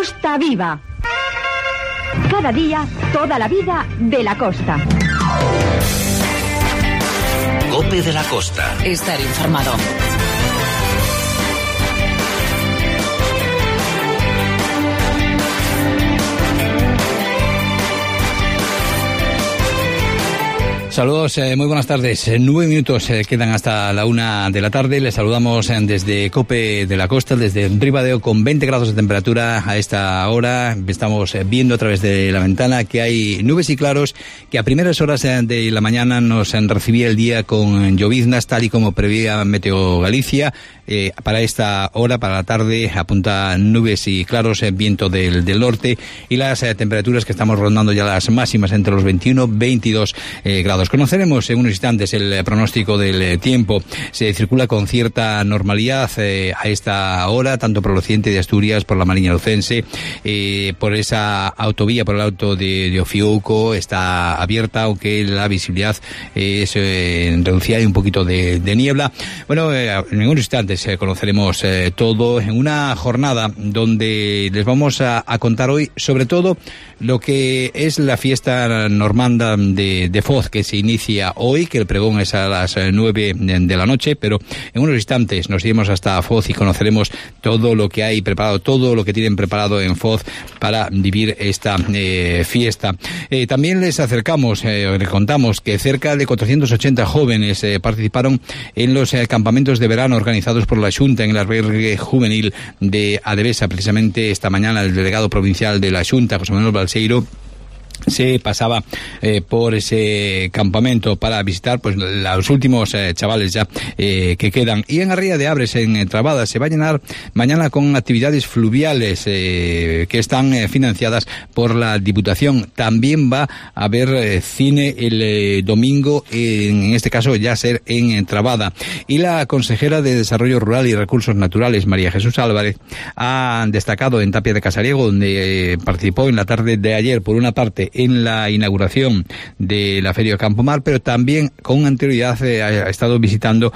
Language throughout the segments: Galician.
Costa Viva. Cada día, toda la vida de la costa. COPE de la Costa. Estar informado. Saludos, muy buenas tardes. 9 minutos quedan hasta la 1 de la tarde. Les saludamos desde COPE de la Costa, desde Ribadeo, con 20 grados de temperatura a esta hora. Estamos viendo a través de la ventana que hay nubes y claros, que a primeras horas de la mañana nos recibía el día con lloviznas, tal y como preveía Meteo Galicia. Para esta hora, para la tarde, apunta nubes y claros, viento del norte, y las temperaturas que estamos rondando ya las máximas entre los 21 y 22 grados. Conoceremos en unos instantes el pronóstico del tiempo. Se circula con cierta normalidad a esta hora, tanto por el occidente de Asturias, por la Mariña Lucense, por esa autovía, por el Alto de Ofiuco, está abierta, aunque la visibilidad es reducida, hay un poquito de niebla. Bueno, en unos instantes conoceremos todo en una jornada donde les vamos a contar hoy sobre todo lo que es la fiesta normanda de Foz, que se inicia hoy, que el pregón es a las 9 de la noche, pero en unos instantes nos iremos hasta Foz y conoceremos todo lo que hay preparado, todo lo que tienen preparado en Foz para vivir esta fiesta. También les acercamos, les contamos que cerca de 480 jóvenes participaron en los campamentos de verano organizados por la Xunta en el albergue juvenil de Adevesa. Precisamente esta mañana el delegado provincial de la Xunta, José Manuel Balseiro, se pasaba por ese campamento para visitar pues los últimos chavales ya que quedan. Y en Arría de Abres, en Trabada, se va a llenar mañana con actividades fluviales que están financiadas por la Diputación. También va a haber cine el domingo, en este caso ya ser en Trabada. Y la consejera de Desarrollo Rural y Recursos Naturales, María Jesús Álvarez, ha destacado en Tapia de Casariego, donde participó en la tarde de ayer, por una parte en la inauguración de la Feria de Campomar, pero también con anterioridad ha estado visitando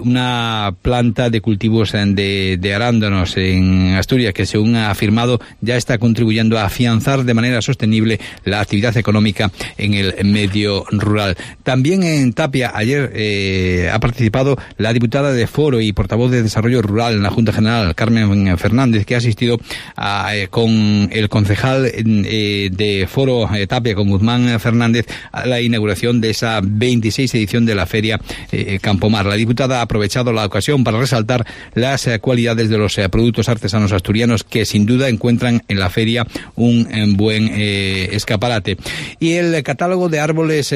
una planta de cultivos de arándanos en Asturias, que según ha afirmado ya está contribuyendo a afianzar de manera sostenible la actividad económica en el medio rural. También en Tapia ayer ha participado la diputada de Foro y portavoz de Desarrollo Rural en la Junta General, Carmen Fernández, que ha asistido con el concejal de Foro Tapia, con Guzmán Fernández, a la inauguración de esa 26 edición de la Feria Campomar. La diputada ha aprovechado la ocasión para resaltar las cualidades de los productos artesanos asturianos, que sin duda encuentran en la feria un buen escaparate. Y el catálogo de árboles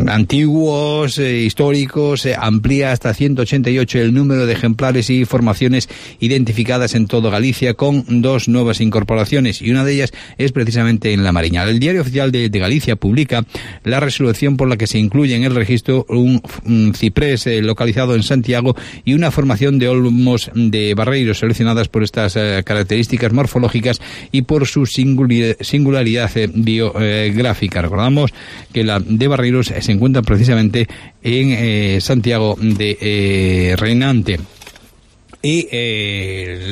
antiguos, históricos, amplía hasta 188 el número de ejemplares y formaciones identificadas en todo Galicia, con 2 nuevas incorporaciones, y una de ellas es precisamente en La Mariña. El Diario Oficial de Galicia publica la resolución por la que se incluye en el registro un ciprés localizado en Santiago y una formación de olmos de barreiros seleccionadas por estas características morfológicas y por su singularidad biográfica. Recordamos que la de barreiros se encuentra precisamente en Santiago de Reinante. Y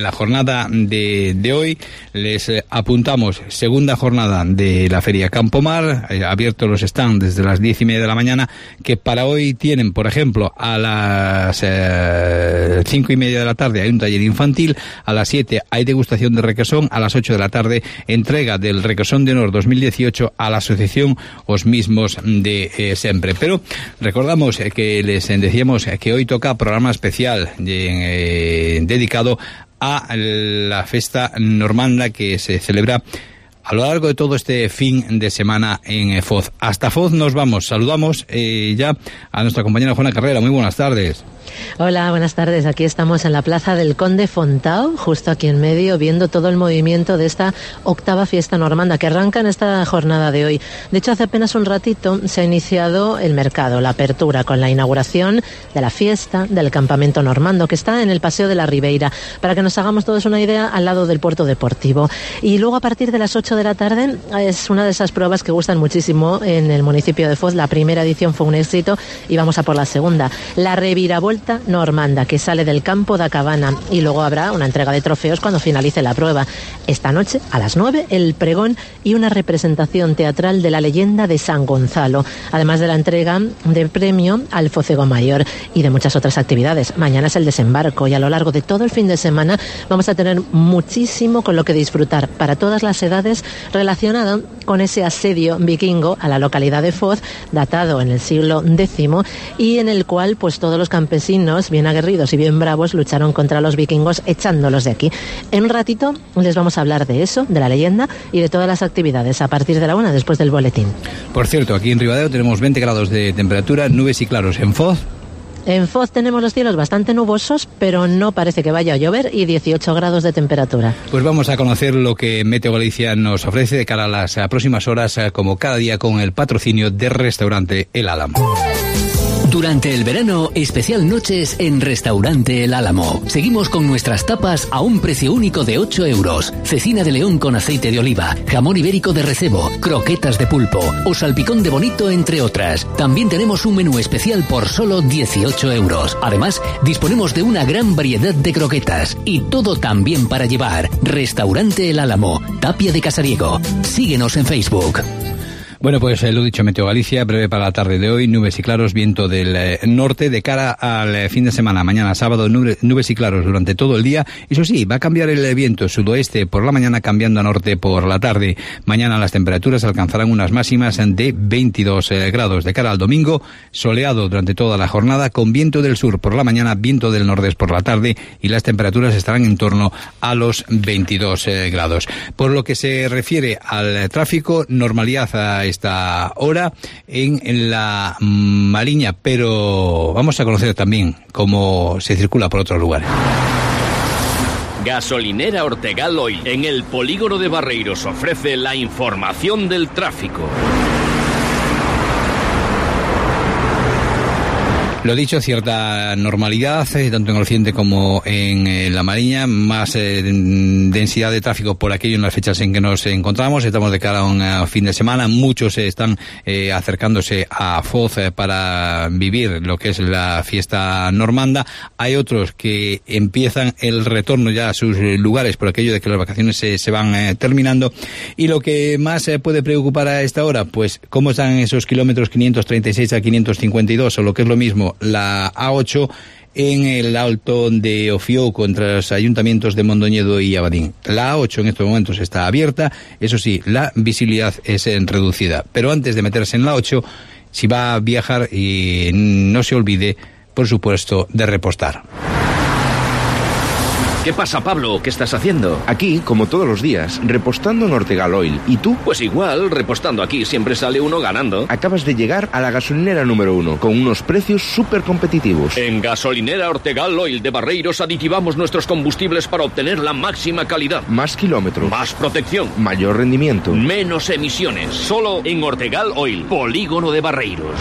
la jornada de hoy les apuntamos, segunda jornada de la Feria Campomar, abiertos los stands desde las 10:30 de la mañana, que para hoy tienen, por ejemplo, a las 5:30 de la tarde hay un taller infantil, a las 7 hay degustación de requesón, a las 8 de la tarde entrega del Requesón de Honor 2018 a la asociación Os Mismos de Sempre. Pero recordamos que les decíamos que hoy toca programa especial dedicado a la festa normanda que se celebra a lo largo de todo este fin de semana en Foz. Hasta Foz nos vamos. Saludamos ya a nuestra compañera Juana Carrera. Muy buenas tardes. Hola, buenas tardes. Aquí estamos en la plaza del Conde Fontao, justo aquí en medio, viendo todo el movimiento de esta 8ª fiesta normanda que arranca en esta jornada de hoy. De hecho, hace apenas un ratito se ha iniciado el mercado, la apertura, con la inauguración de la fiesta del campamento normando, que está en el Paseo de la Ribeira, para que nos hagamos todos una idea, al lado del puerto deportivo. Y luego, a partir de las 8 8 de la tarde. Es una de esas pruebas que gustan muchísimo en el municipio de Foz. La primera edición fue un éxito y vamos a por la segunda. La reviravolta normanda, que sale del campo da Cabana, y luego habrá una entrega de trofeos cuando finalice la prueba. Esta noche, a las 9, el pregón y una representación teatral de la leyenda de San Gonzalo, además de la entrega de premio al Focego Mayor y de muchas otras actividades. Mañana es el desembarco y a lo largo de todo el fin de semana vamos a tener muchísimo con lo que disfrutar para todas las edades, relacionado con ese asedio vikingo a la localidad de Foz, datado en el siglo X, y en el cual pues todos los campesinos bien aguerridos y bien bravos lucharon contra los vikingos echándolos de aquí. En un ratito les vamos a hablar de eso, de la leyenda y de todas las actividades a partir de la 1 después del boletín. Por cierto, aquí en Ribadeo tenemos 20 grados de temperatura, nubes y claros. En Foz. En Foz tenemos los cielos bastante nubosos, pero no parece que vaya a llover, y 18 grados de temperatura. Pues vamos a conocer lo que Meteo Galicia nos ofrece de cara a las próximas horas, como cada día, con el patrocinio de Restaurante El Álamo. Durante el verano, especial noches en Restaurante El Álamo. Seguimos con nuestras tapas a un precio único de 8 euros. Cecina de león con aceite de oliva, jamón ibérico de recebo, croquetas de pulpo o salpicón de bonito, entre otras. También tenemos un menú especial por solo 18 euros. Además, disponemos de una gran variedad de croquetas y todo también para llevar. Restaurante El Álamo, Tapia de Casariego. Síguenos en Facebook. Bueno, pues lo dicho, Meteo Galicia, breve para la tarde de hoy, nubes y claros, viento del norte de cara al fin de semana. Mañana sábado, nubes y claros durante todo el día. Eso sí, va a cambiar el viento sudoeste por la mañana, cambiando a norte por la tarde. Mañana las temperaturas alcanzarán unas máximas de 22 grados. De cara al domingo, soleado durante toda la jornada, con viento del sur por la mañana, viento del nordeste por la tarde, y las temperaturas estarán en torno a los 22 grados. Por lo que se refiere al tráfico, normalidad a esta hora en la Mariña, pero vamos a conocer también cómo se circula por otros lugares. Gasolinera Ortegal Oil, en el polígono de Barreiros, ofrece la información del tráfico. Lo dicho, cierta normalidad, tanto en el occidente como en la Mariña, más densidad de tráfico por aquello en las fechas en que nos encontramos. Estamos de cara a un fin de semana, muchos están acercándose a Foz para vivir lo que es la fiesta normanda. Hay otros que empiezan el retorno ya a sus lugares por aquello de que las vacaciones se van terminando. Y lo que más puede preocupar a esta hora, pues cómo están esos kilómetros 536 a 552, o lo que es lo mismo, la A8 en el Alto de Ofiouco, entre los ayuntamientos de Mondoñedo y Abadín. La A8 en estos momentos está abierta, eso sí, la visibilidad es reducida. Pero antes de meterse en la 8, si va a viajar, no se olvide, por supuesto, de repostar. ¿Qué pasa, Pablo? ¿Qué estás haciendo? Aquí, como todos los días, repostando en Ortegal Oil. ¿Y tú? Pues igual, repostando aquí siempre sale uno ganando. Acabas de llegar a la gasolinera número 1, con unos precios súper competitivos. En Gasolinera Ortegal Oil de Barreiros aditivamos nuestros combustibles para obtener la máxima calidad. Más kilómetros. Más protección. Mayor rendimiento. Menos emisiones. Solo en Ortegal Oil, polígono de Barreiros.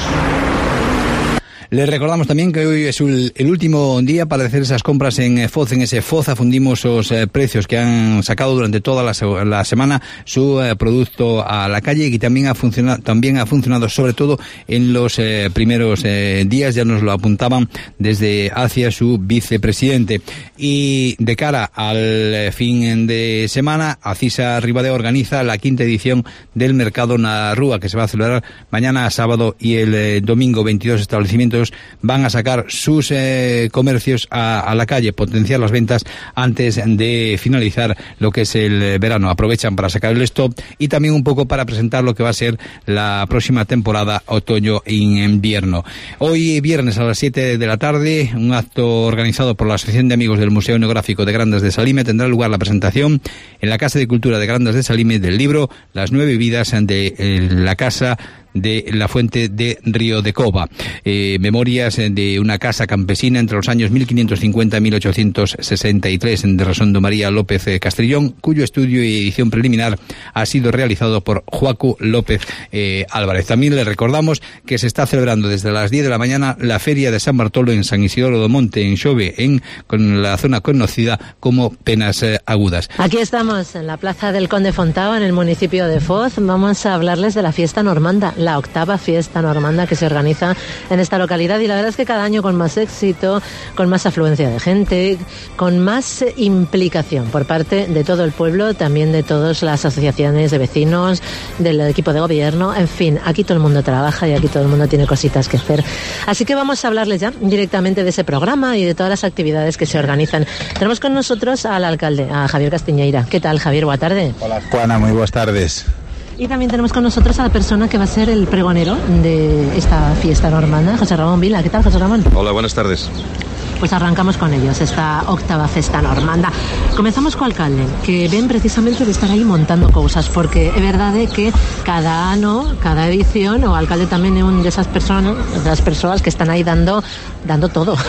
Les recordamos también que hoy es el último día para hacer esas compras en Foz. En ese Foz afundimos los precios que han sacado durante toda la semana su producto a la calle, y también ha funcionado sobre todo en los primeros días. Ya nos lo apuntaban desde hacia su vicepresidente. Y de cara al fin de semana, Acisa Ribadeo organiza la 5ª edición del Mercado na Rúa, que se va a celebrar mañana sábado y el domingo. 22 establecimientos van a sacar sus comercios a la calle, potenciar las ventas antes de finalizar lo que es el verano. Aprovechan para sacar el stock y también un poco para presentar lo que va a ser la próxima temporada otoño-invierno. Hoy viernes a las 7 de la tarde, un acto organizado por la Asociación de Amigos del Museo Etnográfico de Grandas de Salime, tendrá lugar la presentación en la Casa de Cultura de Grandas de Salime del libro Las 9 vidas de la Casa de la fuente de Río de Cova. Memorias de una casa campesina entre los años 1550 y 1863 de Resondo María López Castrillón, cuyo estudio y edición preliminar ha sido realizado por Joacu López Álvarez. También le recordamos que se está celebrando desde las 10 de la mañana la Feria de San Bartolo en San Isidoro do Monte, en Xove, con la zona conocida como Penas Agudas. Aquí estamos en la Plaza del Conde Fontao, en el municipio de Foz. Vamos a hablarles de la fiesta normanda, la octava fiesta normanda que se organiza en esta localidad, y la verdad es que cada año con más éxito, con más afluencia de gente, con más implicación por parte de todo el pueblo, también de todas las asociaciones de vecinos, del equipo de gobierno, en fin, aquí todo el mundo trabaja y aquí todo el mundo tiene cositas que hacer. Así que vamos a hablarles ya directamente de ese programa y de todas las actividades que se organizan. Tenemos con nosotros al alcalde, a Javier Castiñeira. ¿Qué tal, Javier? Buenas tardes. Hola, Juana, muy buenas tardes. Y también tenemos con nosotros a la persona que va a ser el pregonero de esta fiesta normanda, José Ramón Vila. ¿Qué tal, José Ramón? Hola, buenas tardes. Pues arrancamos con ellos, esta octava festa normanda. Comenzamos co alcalde, que ven precisamente de estar aí montando cousas, porque é verdade que cada ano, cada edición, o alcalde tamén é un desas persoas, das persoas que están aí dando todo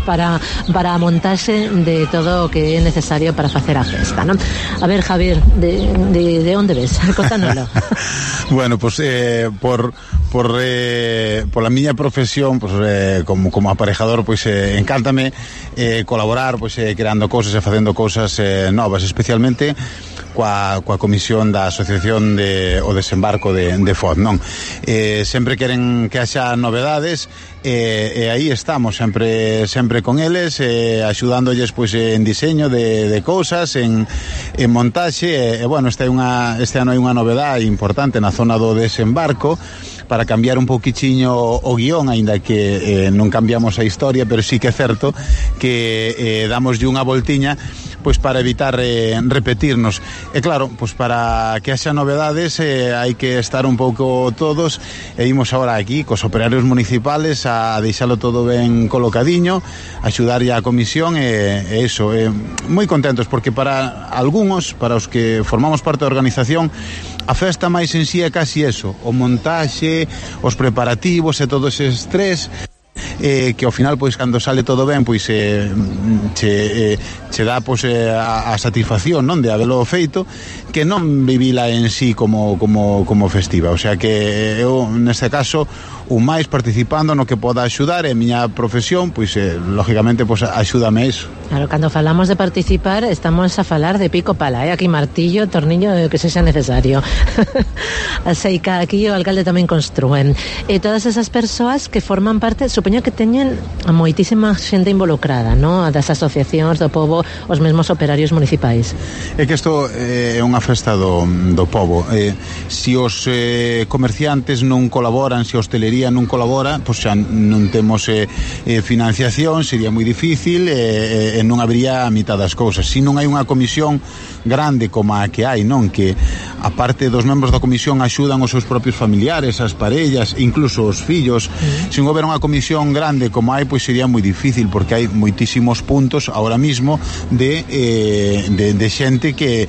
para montarse de todo o que é necesario para facer a festa, non? A ver, Javier, de onde ves? Contánoslo. Bueno, pues por la miña profesión, pues como aparejador, pues encántame colaborar, pues creando cousas e facendo cousas novas, especialmente coa comisión da Asociación o Desembarco de Foz, non? Sempre queren que haxa novedades, e aí estamos sempre con eles, axudándoles pois en diseño de cousas, en montaxe, e bueno, este ano hai unha novedade importante na zona do desembarco, para cambiar un pouquichiño o guión, aínda que non cambiamos a historia, pero sí que é certo que damoslle unha voltiña pois para evitar repetirnos. E claro, pois para que haxa novedades hai que estar un pouco todos, e imos agora aquí cos operarios municipales a deixalo todo ben colocadiño, axudarlle á comisión, e iso, moi contentos, porque para algúns, para os que formamos parte da organización, a festa máis en sí é casi eso, o montaxe, os preparativos e todo ese estrés, que ao final, pois, cando sale todo ben, pois che dá, pois, a satisfacción, non, de habelo feito, que non vivila en sí como festiva. O sea que eu, neste caso, o máis participando no que poda axudar, e a miña profesión, pois, lógicamente, pois, axúdame a iso. Claro, cando falamos de participar, estamos a falar de pico pala, aquí martillo, tornillo, que sexa necesario. Así que aquí o alcalde tamén construen. E todas esas persoas que forman parte, supoño que teñen moitísima xente involucrada, ¿no? Das asociacións do pobo, os mesmos operarios municipais. É que isto é unha festa do pobo. Se os comerciantes non colaboran, se a hostelería non colabora, pois xa non temos financiación, sería moi difícil, e non habría a mitad das cousas. Se non hai unha comisión grande como a que hai, non, que a parte dos membros da comisión axudan os seus propios familiares, as parellas, incluso os fillos, se non houber unha comisión grande como hai, pois sería moi difícil, porque hai moitísimos puntos ahora mismo de xente que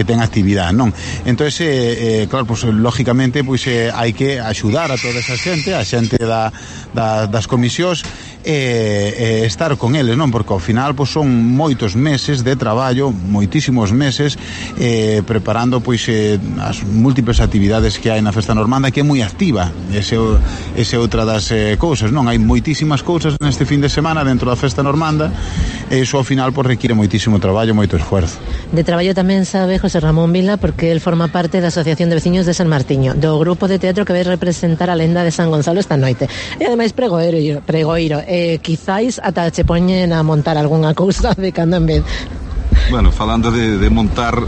ten actividade, non? Entón, claro, pois lógicamente, pois hai que axudar a toda esa xente, a xente das comisións, estar con eles, non? Porque ao final, pois, son moitos meses de traballo, moitísimos meses, preparando, pois, as múltiples actividades que hai na festa normanda, que é moi activa. Ese é outra das cousas, non? Hai moitísimas cousas neste fin de semana dentro da festa normanda, e iso ao final, pois, require moitísimo traballo, moito esfuerzo. De traballo tamén sabe José Ramón Vila, porque el forma parte da Asociación de Veciños de San Martiño, do grupo de teatro que vai representar a lenda de San Gonzalo esta noite. E ademais pregoiro. Quizáis ata che poñen a montar algunha cousa de cando en vez. Bueno, falando de montar,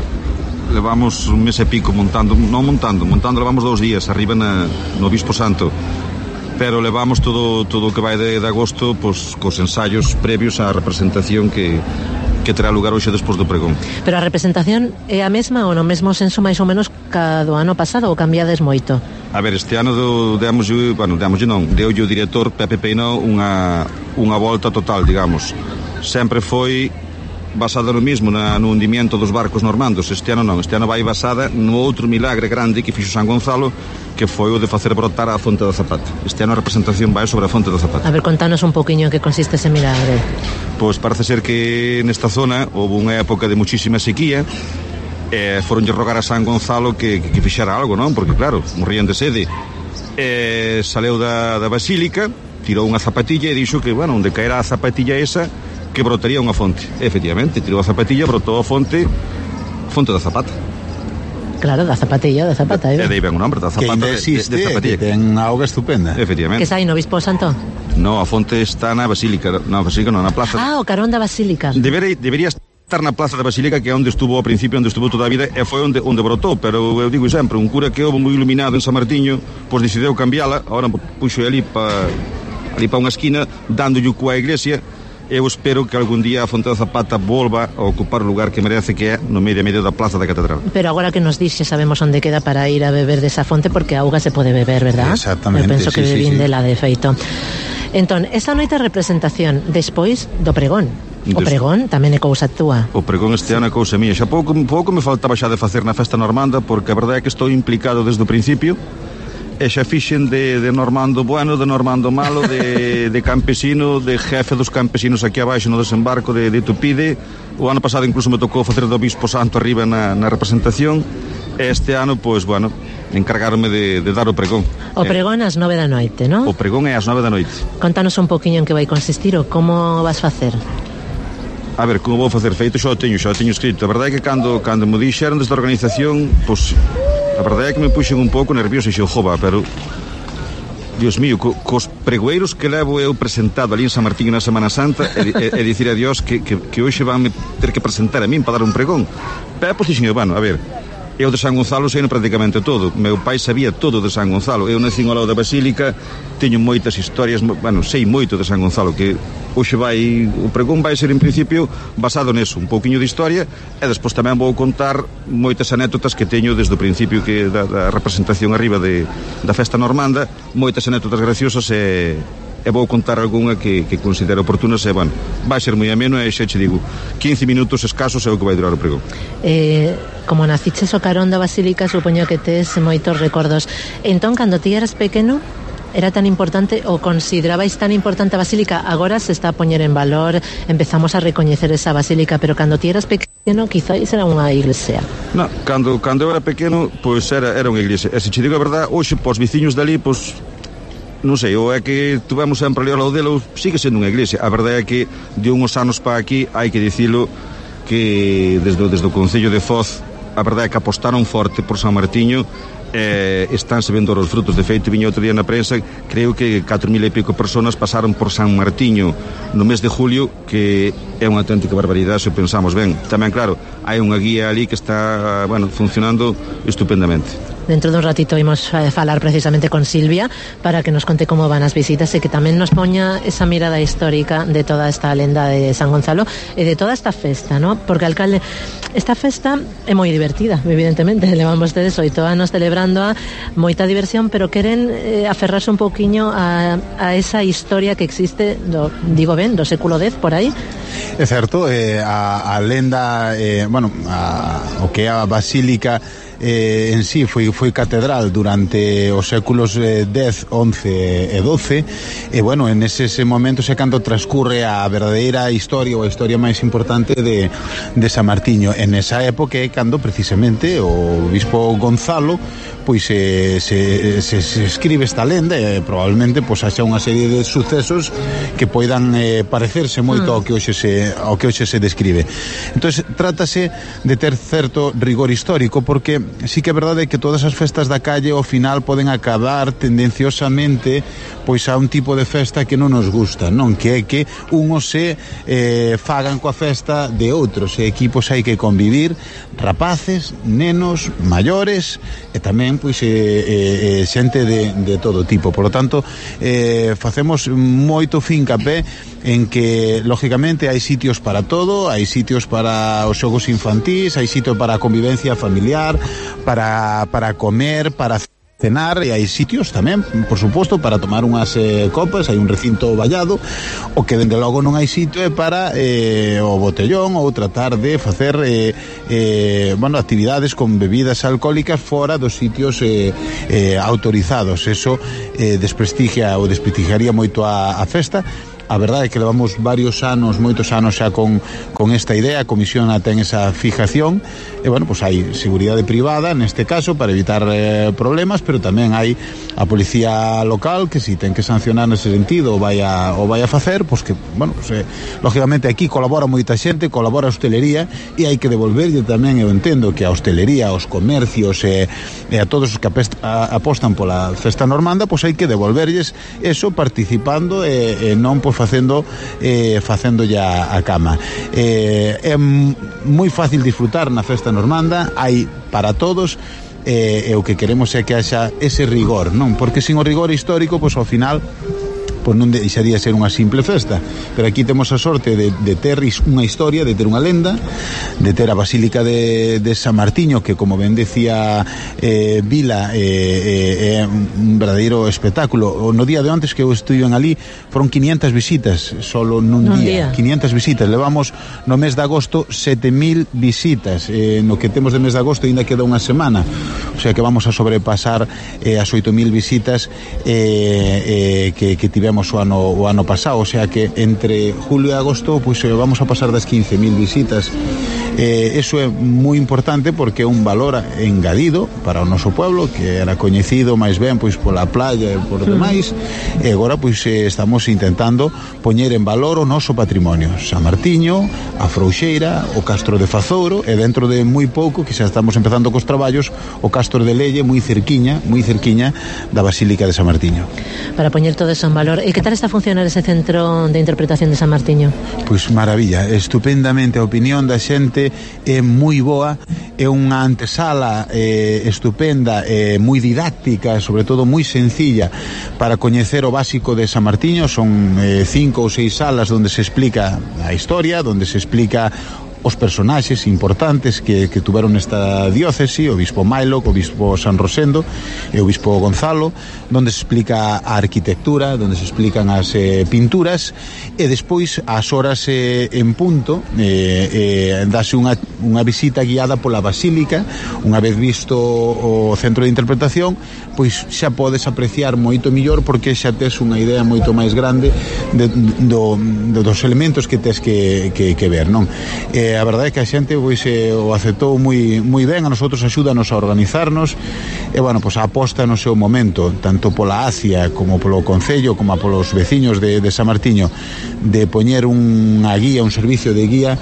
levamos un mes e pico montando levamos 2 días arriba no Obispo Santo, pero levamos todo o que vai de agosto, pois, cos ensaios previos á representación que terá lugar hoxe despois do pregón. Pero a representación é a mesma ou no mesmo senso máis ou menos ca do ano pasado, ou cambiades moito? A ver, este ano deulle o director Pepe Peinó unha volta total, digamos. Sempre foi basada no mismo no hundimiento dos barcos normandos. Este ano non, este ano vai basada no outro milagre grande que fixo San Gonzalo, que foi o de facer brotar a Fonte da Zapata. Este ano a representación vai sobre a Fonte da Zapata. A ver, contanos un poquinho en que consiste ese milagre. Pois parece ser que nesta zona houve unha época de muchísima sequía, foronlle rogar a San Gonzalo que fixera algo, non? Porque claro, morrían de sede. Saleu da basílica, tirou unha zapatilla e dixo que, bueno, onde caera a zapatilla esa, que brotaría unha fonte. Efectivamente, tirou a zapatilla, brotou a fonte da Zapata. Claro, da zapatilla, da Zapata. E dei ben o nombre, da Zapata, que existe, de zapatilla. Que ten unha auga estupenda. Efectivamente. Que sai no Obispo Santo? No, a fonte está na basílica, na plaza. O carón da basílica. Debería estar na plaza da basílica, que é onde estuvo ao principio, onde estuvo toda a vida, e foi onde brotou, pero eu digo sempre, un cura que houve moi iluminado en San Martiño, pois decidiu cambiala, agora puxo ali pa unha esquina, dándolle coa iglesia. Eu espero que algún día a Fonte da Zapata volva a ocupar o lugar que merece, que é no medio da plaza da catedral. Pero agora que nos dixe, sabemos onde queda para ir a beber desa fonte, porque a auga se pode beber, verdad? Exactamente. Eu penso que bebín sí. dela, de feito. Entón, esa noite de representación, despois do pregón. O pregón tamén é cousa túa. O pregón este ano é cousa mía. Xa pouco me faltaba xa de facer na festa normanda, porque a verdade é que estou implicado desde o principio. E xa fixen de normando bueno, de normando malo, de campesino, de jefe dos campesinos aquí abaixo no desembarco de Tupide. O ano pasado incluso me tocou facer do Obispo Santo arriba na representación. Este ano, pois, bueno, encargarme de dar o pregón. O pregón ás 9 da noite, non? O pregón é ás 9 da noite. Contanos un poquinho en que vai consistir ou como vas facer. A ver, como vou facer feito, xa o teño escrito. A verdade é que cando me dixeron desde a organización, pois, a verdade é que me puxen un pouco nervioso e xo, jova, pero Dios mío, cos pregoeiros que levo eu presentado ali en San Martiño na Semana Santa e dicir a Dios que hoxe van ter que presentar a min para dar un pregón. Pero, pois, dixen, bueno, a ver, eu de San Gonzalo sei prácticamente todo. Meu pai sabía todo de San Gonzalo. Eu nací ao lado da basílica, teño moitas historias, bueno, sei moito de San Gonzalo, que hoxe o pregón vai ser en principio basado neso, un pouquiño de historia, e despois tamén vou contar moitas anécdotas que teño desde o principio que da representación arriba da festa normanda, moitas anécdotas graciosas e vou contar algunha que considero oportunas e, bueno, vai ser moi ameno e xa che digo, 15 minutos escasos é o que vai durar o pregón. Como naciches o carón da basílica, supoño que tes moitos recordos. Entón, cando ti eras pequeno, era tan importante ou considerabais tan importante a basílica? Agora se está a poñer en valor, empezamos a recoñecer esa basílica, pero cando ti eras pequeno, quizás era unha iglesia. No, cando eu era pequeno, pois era unha iglesia. E se che digo a verdade, hoxe, pos veciños dali, pois non sei, ou é que tuvemos sempre ali ao lado dele, ou sigue sendo unha iglesia. A verdade é que de uns anos para aquí, hai que dicilo, que desde o Concello de Foz, a verdade é que apostaron forte por San Martiño, estánse vendo os frutos. De feito, viña outro día na prensa, creo que 4.000 e pico personas pasaron por San Martiño no mes de julio, que é unha auténtica barbaridade se pensamos ben. Tamén, claro, hai unha guía ali que está, bueno, funcionando estupendamente. Dentro dun ratito imos falar precisamente con Silvia para que nos conte como van as visitas e que tamén nos poña esa mirada histórica de toda esta lenda de San Gonzalo e de toda esta festa, ¿no? Porque, alcalde, esta festa é moi divertida, evidentemente, levamos tedes 8 anos celebrándoa, moita diversión, pero queren aferrarse un pouquiño a esa historia que existe digo ben, do século X por aí. É certo, a lenda, bueno, o que é a basílica en sí foi catedral durante os séculos X, XI e XII, e bueno, en eses momentos é cando transcurre a verdadeira historia ou a historia máis importante de San Martiño. En esa época é cando precisamente o bispo Gonzalo pois se escribe esta lenda e probablemente pois haxa unha serie de sucesos que poidan parecerse moito ao que hoxe se describe. Entonces trátase de ter certo rigor histórico, porque sí que é verdade que todas as festas da calle ao final poden acabar tendenciosamente pois a un tipo de festa que non nos gusta, non? Que é que unhos se fagan coa festa de outros, e equipos hai que convivir, rapaces, nenos, maiores e tamén pois xente de todo tipo. Por lo tanto, facemos moito fincapé en que lógicamente hai sitios para todo, hai sitios para os xogos infantís, hai sitio para a convivencia familiar, para comer, para cenar, e hai sitios tamén, por suposto, para tomar unhas copas, hai un recinto vallado. O que dende logo non hai sitio é para o botellón ou tratar de facer actividades con bebidas alcohólicas fora dos sitios autorizados. Eso desprestigiaría moito a festa. A verdade é que levamos moitos anos xa con esta idea. A Comisión ten esa fijación e, hai seguridade privada neste caso para evitar problemas, pero tamén hai a policía local que si ten que sancionar nese sentido o vai a facer, lógicamente aquí colabora moita xente, colabora a hostelería e hai que devolverlle tamén. Eu entendo que a hostelería, aos comercios e a todos os que apostan pola festa normanda, hai que devolverlles eso participando e non facendo ya a cama. É moi fácil disfrutar na festa normanda, hai para todos, e o que queremos é que haxa ese rigor, non? Porque sin o rigor histórico, ao final non deixaría ser unha simple festa. Pero aquí temos a sorte de ter unha historia, de ter unha lenda, de ter a Basílica de San Martiño, que, como ben decía Vila, é un verdadeiro espectáculo. No día de antes que eu estuve ali foron 500 visitas solo nun día. 500 visitas. Levamos no mes de agosto 7.000 visitas. No que temos de mes de agosto ainda queda unha semana, o sea que vamos a sobrepasar as 8.000 visitas que tivemos o ano pasado, o sea que entre julio e agosto vamos a pasar das 15.000 visitas. Eso é moi importante porque é un valor engadido para o noso pueblo, que era coñecido máis ben pola playa e por demais, e agora estamos intentando poñer en valor o noso patrimonio, San Martiño, a Frouxeira, o Castro de Fazouro, e dentro de moi pouco, que xa estamos empezando cos traballos, o Castro de Lelle, moi cerquiña da Basílica de San Martiño. Para poñer todo eso en valor. E que tal está a funcionar ese centro de interpretación de San Martiño? Maravilla, estupendamente. A opinión da xente é moi boa, é unha antesala estupenda, moi didáctica, sobre todo moi sencilla para coñecer o básico de San Martiño. Son 5 ou 6 salas onde se explica a historia, onde se explica os personaxes importantes que tuveron esta diócese, o bispo Mailo, o bispo San Rosendo e o bispo Gonzalo, donde se explica a arquitectura, donde se explican as pinturas, e despois ás horas en punto dase unha visita guiada pola Basílica. Unha vez visto o centro de interpretación, xa podes apreciar moito millor, porque xa tes unha idea moito máis grande dos elementos que tes que ver, non? A verdade é que a xente o aceptou moi ben. A nosotros axúdanos a organizarnos e, a aposta no seu momento, tanto pola ACIA como polo Concello como polos veciños de San Martiño, de poñer unha guía, un servicio de guía,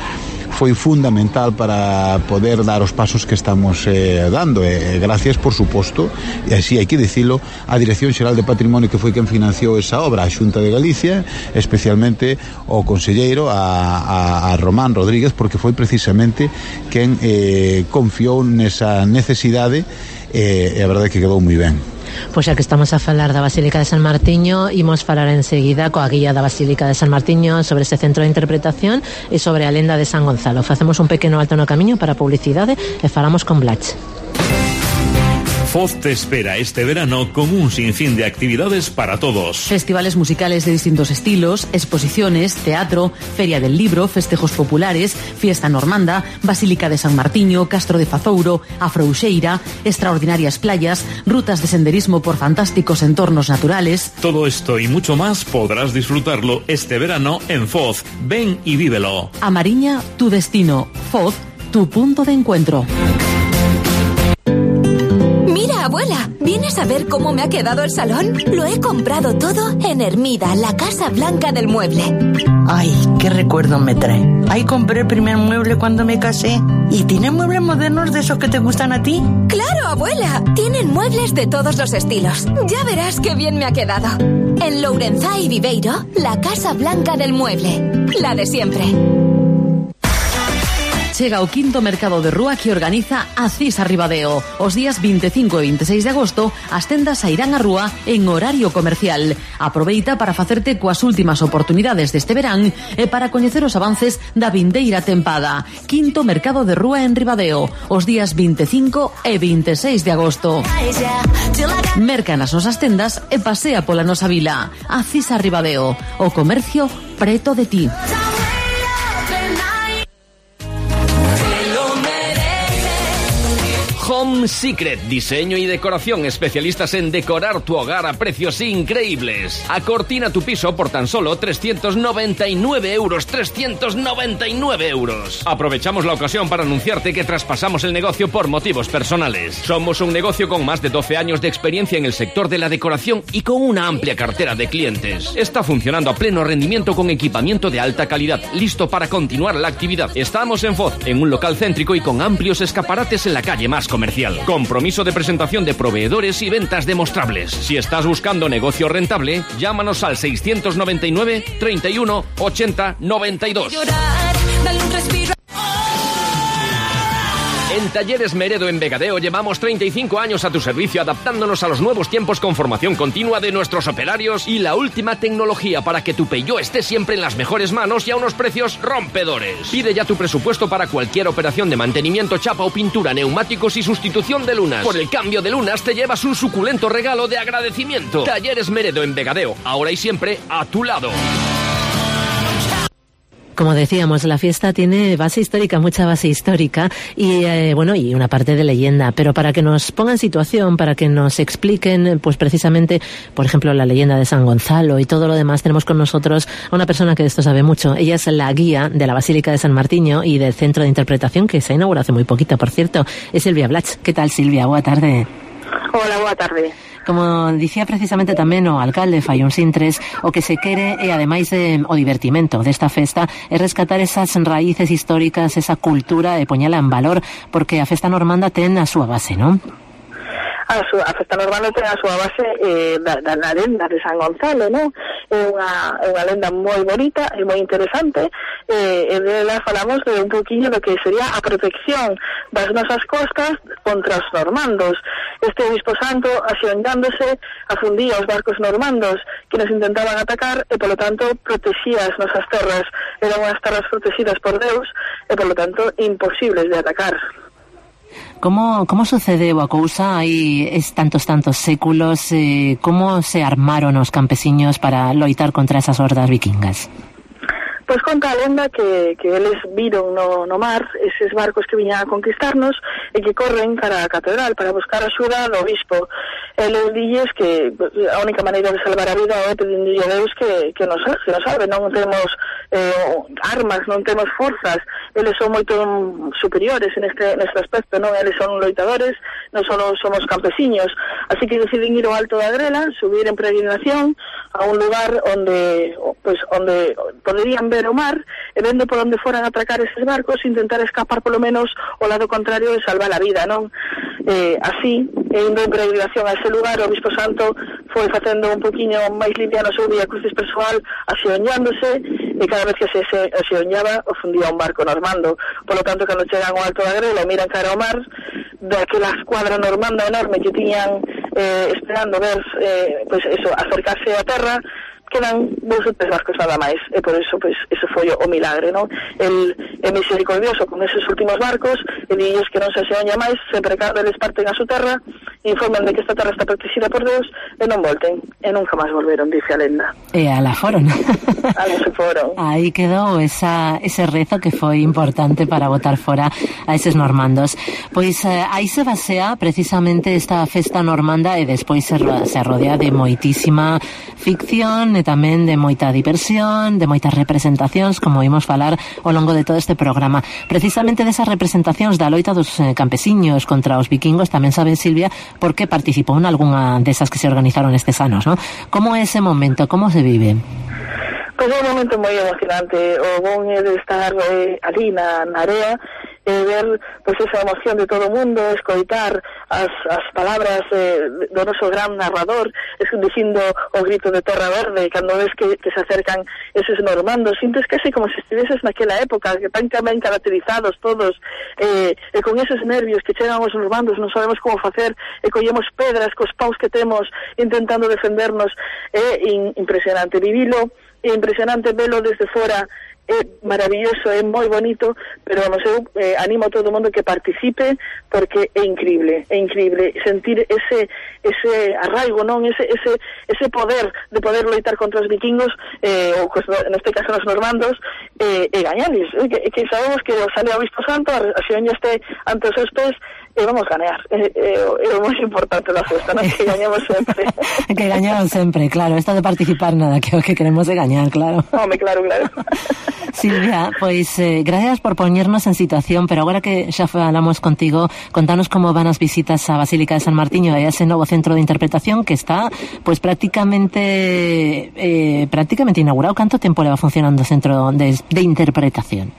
foi fundamental para poder dar os pasos que estamos dando. Gracias, por suposto, e así hai que dicilo, a Dirección Xeral de Patrimonio, que foi quen financiou esa obra, a Xunta de Galicia, especialmente o conselleiro a Román Rodríguez, porque foi precisamente quen confiou nesa necesidade, e a verdade é que quedou moi ben. Pois xa que estamos a falar da Basílica de San Martiño, imos falar enseguida coa guía da Basílica de San Martiño sobre ese centro de interpretación e sobre a lenda de San Gonzalo. Facemos un pequeno alto no camiño para a publicidade e falamos con Blach. Foz te espera este verano con un sinfín de actividades para todos. Festivales musicales de distintos estilos, exposiciones, teatro, feria del libro, festejos populares, fiesta normanda, Basílica de San Martiño, Castro de Fazouro, a Frouxeira, extraordinarias playas, rutas de senderismo por fantásticos entornos naturales. Todo esto y mucho más podrás disfrutarlo este verano en Foz. Ven y vívelo. A Mariña, tu destino. Foz, tu punto de encuentro. Abuela, ¿vienes a ver cómo me ha quedado el salón? Lo he comprado todo en Hermida, la Casa Blanca del Mueble. Ay, qué recuerdo me trae. Ahí compré el primer mueble cuando me casé. ¿Y tienen muebles modernos de esos que te gustan a ti? ¡Claro, abuela! Tienen muebles de todos los estilos. Ya verás qué bien me ha quedado. En Lourenzá y Viveiro, la Casa Blanca del Mueble. La de siempre. chega o quinto mercado de rúa que organiza Acisa Ribadeo. Os días 25 e 26 de agosto as tendas sairán á rúa en horario comercial. Aproveita para facerte coas últimas oportunidades deste verán e para coñecer os avances da vindeira tempada. Quinto mercado de rúa en Ribadeo, os días 25 e 26 de agosto. Merca nas nosas tendas e pasea pola nosa vila. Acisa Ribadeo, o comercio preto de ti. Home Secret, diseño y decoración, especialistas en decorar tu hogar a precios increíbles. Acortina tu piso por tan solo 399 euros. 399 euros. Aprovechamos la ocasión para anunciarte que traspasamos el negocio por motivos personales. Somos un negocio con más de 12 años de experiencia en el sector de la decoración y con una amplia cartera de clientes. Está funcionando a pleno rendimiento con equipamiento de alta calidad, listo para continuar la actividad. Estamos en Foz, en un local céntrico y con amplios escaparates en la calle más comercial. Compromiso de presentación de proveedores y ventas demostrables. Si estás buscando negocio rentable, llámanos al 699 31 80 92. En Talleres Meredo en Vegadeo llevamos 35 años a tu servicio, adaptándonos a los nuevos tiempos con formación continua de nuestros operarios y la última tecnología para que tu Peugeot esté siempre en las mejores manos y a unos precios rompedores. Pide ya tu presupuesto para cualquier operación de mantenimiento, chapa o pintura, neumáticos y sustitución de lunas. Por el cambio de lunas te llevas un suculento regalo de agradecimiento. Talleres Meredo en Vegadeo, ahora y siempre a tu lado. Como decíamos, la fiesta tiene base histórica, mucha base histórica y y una parte de leyenda, pero para que nos pongan en situación, para que nos expliquen, pues precisamente, por ejemplo, la leyenda de San Gonzalo y todo lo demás, tenemos con nosotros a una persona que de esto sabe mucho. Ella es la guía de la Basílica de San Martiño y del Centro de Interpretación, que se ha inaugurado hace muy poquito, por cierto. Es Silvia Blach. ¿Qué tal, Silvia? Boa tarde. Hola, boa tarde. Como dicía precisamente tamén o alcalde Fai un Sintres, o que se quere, e ademais o divertimento desta festa, é rescatar esas raíces históricas, esa cultura e poñela en valor, porque a festa normanda ten a súa base, non? A festa normanda ten a súa base da lenda de San Gonzalo, non? É unha lenda moi bonita e moi interesante, e dela falamos de un poquinho do que sería a protección das nosas costas contra os normandos. Este obispo santo, asiondándose, afundía os barcos normandos que nos intentaban atacar e, polo tanto, protexía as nosas terras. Eran unhas terras protegidas por Deus e, polo tanto, imposibles de atacar. Como sucedeu a cousa hai tantos séculos? Como se armaron os campesiños para loitar contra esas hordas vikingas? Pois conta a lenda que eles viron no mar eses barcos que viñan a conquistarnos e que corren cara a catedral para buscar axuda do obispo. Eles dilles que a única maneira de salvar a vida é pedindo a Deus que nos salve. Non temos armas, non temos forzas. Eles son moito superiores neste aspecto, non? Eles son loitadores, non só somos campesiños. Así que deciden ir ao alto da Grela, subir en peregrinación a un lugar onde poderían ver o mar e vendo por onde foran a atracar eses barcos, intentar escapar polo menos ao lado contrario e salvar a vida, non? Así, indo en peregrinación a ese lugar, o Obispo Santo foi facendo un poquinho máis liviano o seu vía crucis persoal, asioñándose, e cada vez que se asioñaba, o fundía un barco normando. Polo tanto, cando chegan ao alto da Grela, miran cara ao mar, daquela escuadra normanda enorme que tiñan esperando ver, acercarse á terra, quedan 2 ou 3 barcos nada máis, e por eso, eso foi o milagre, non? El é misericordioso con esos últimos barcos, e dilles que non se aseoña máis, sempre cando eles parten a súa terra, informan de que esta terra está protegida por Deus, e non volten, e nunca máis volveron, dice a lenda. E ala foron. Ala se foron. Aí quedou ese rezo que foi importante para botar fora a eses normandos. Pois aí se basea precisamente esta festa normanda, e despois se rodea de moitísima ficción e tamén de moita diversión, de moitas representacións, como imos falar ao longo de todo este programa. Precisamente desas representacións da loita dos campesiños contra os vikingos, tamén sabe Silvia por que participou en algunha desas que se organizaron estes anos, non? Como é ese momento? Como se vive? Pois é un momento moi emocionante. O bon é de estar ali na area ver pois esa emoción de todo o mundo, escoitar as palabras do noso gran narrador, dicindo o grito de Terra Verde cando ves que se acercan eses normandos, sintes casi como se estiveses naquela época, que tan ben caracterizados todos, e con eses nervios que chegan os normandos, non sabemos como facer, e collemos pedras cos paus que temos intentando defendernos. É impresionante vivilo, é impresionante velo desde fora, é maravilloso, é moi bonito, pero vamos, eu animo a todo o mundo que participe, porque é increíble sentir ese arraigo, non, ese poder de poder loitar contra os vikingos, ou neste caso os normandos, e gañarles, que sabemos que sale o Bispo Santo, a xeoña este ante os seus pés, e vamos gañar, é o máis importante da festa, non? Que gañemos sempre. Que gañaron sempre, claro, esta de participar nada, que o que queremos é gañar, claro. Home, claro. Silvia, pois gracias por poñernos en situación, pero agora que xa falamos contigo, contanos como van as visitas á Basílica de San Martiño e a ese novo centro de interpretación que está pois prácticamente inaugurado. Canto tempo leva funcionando o centro de interpretación?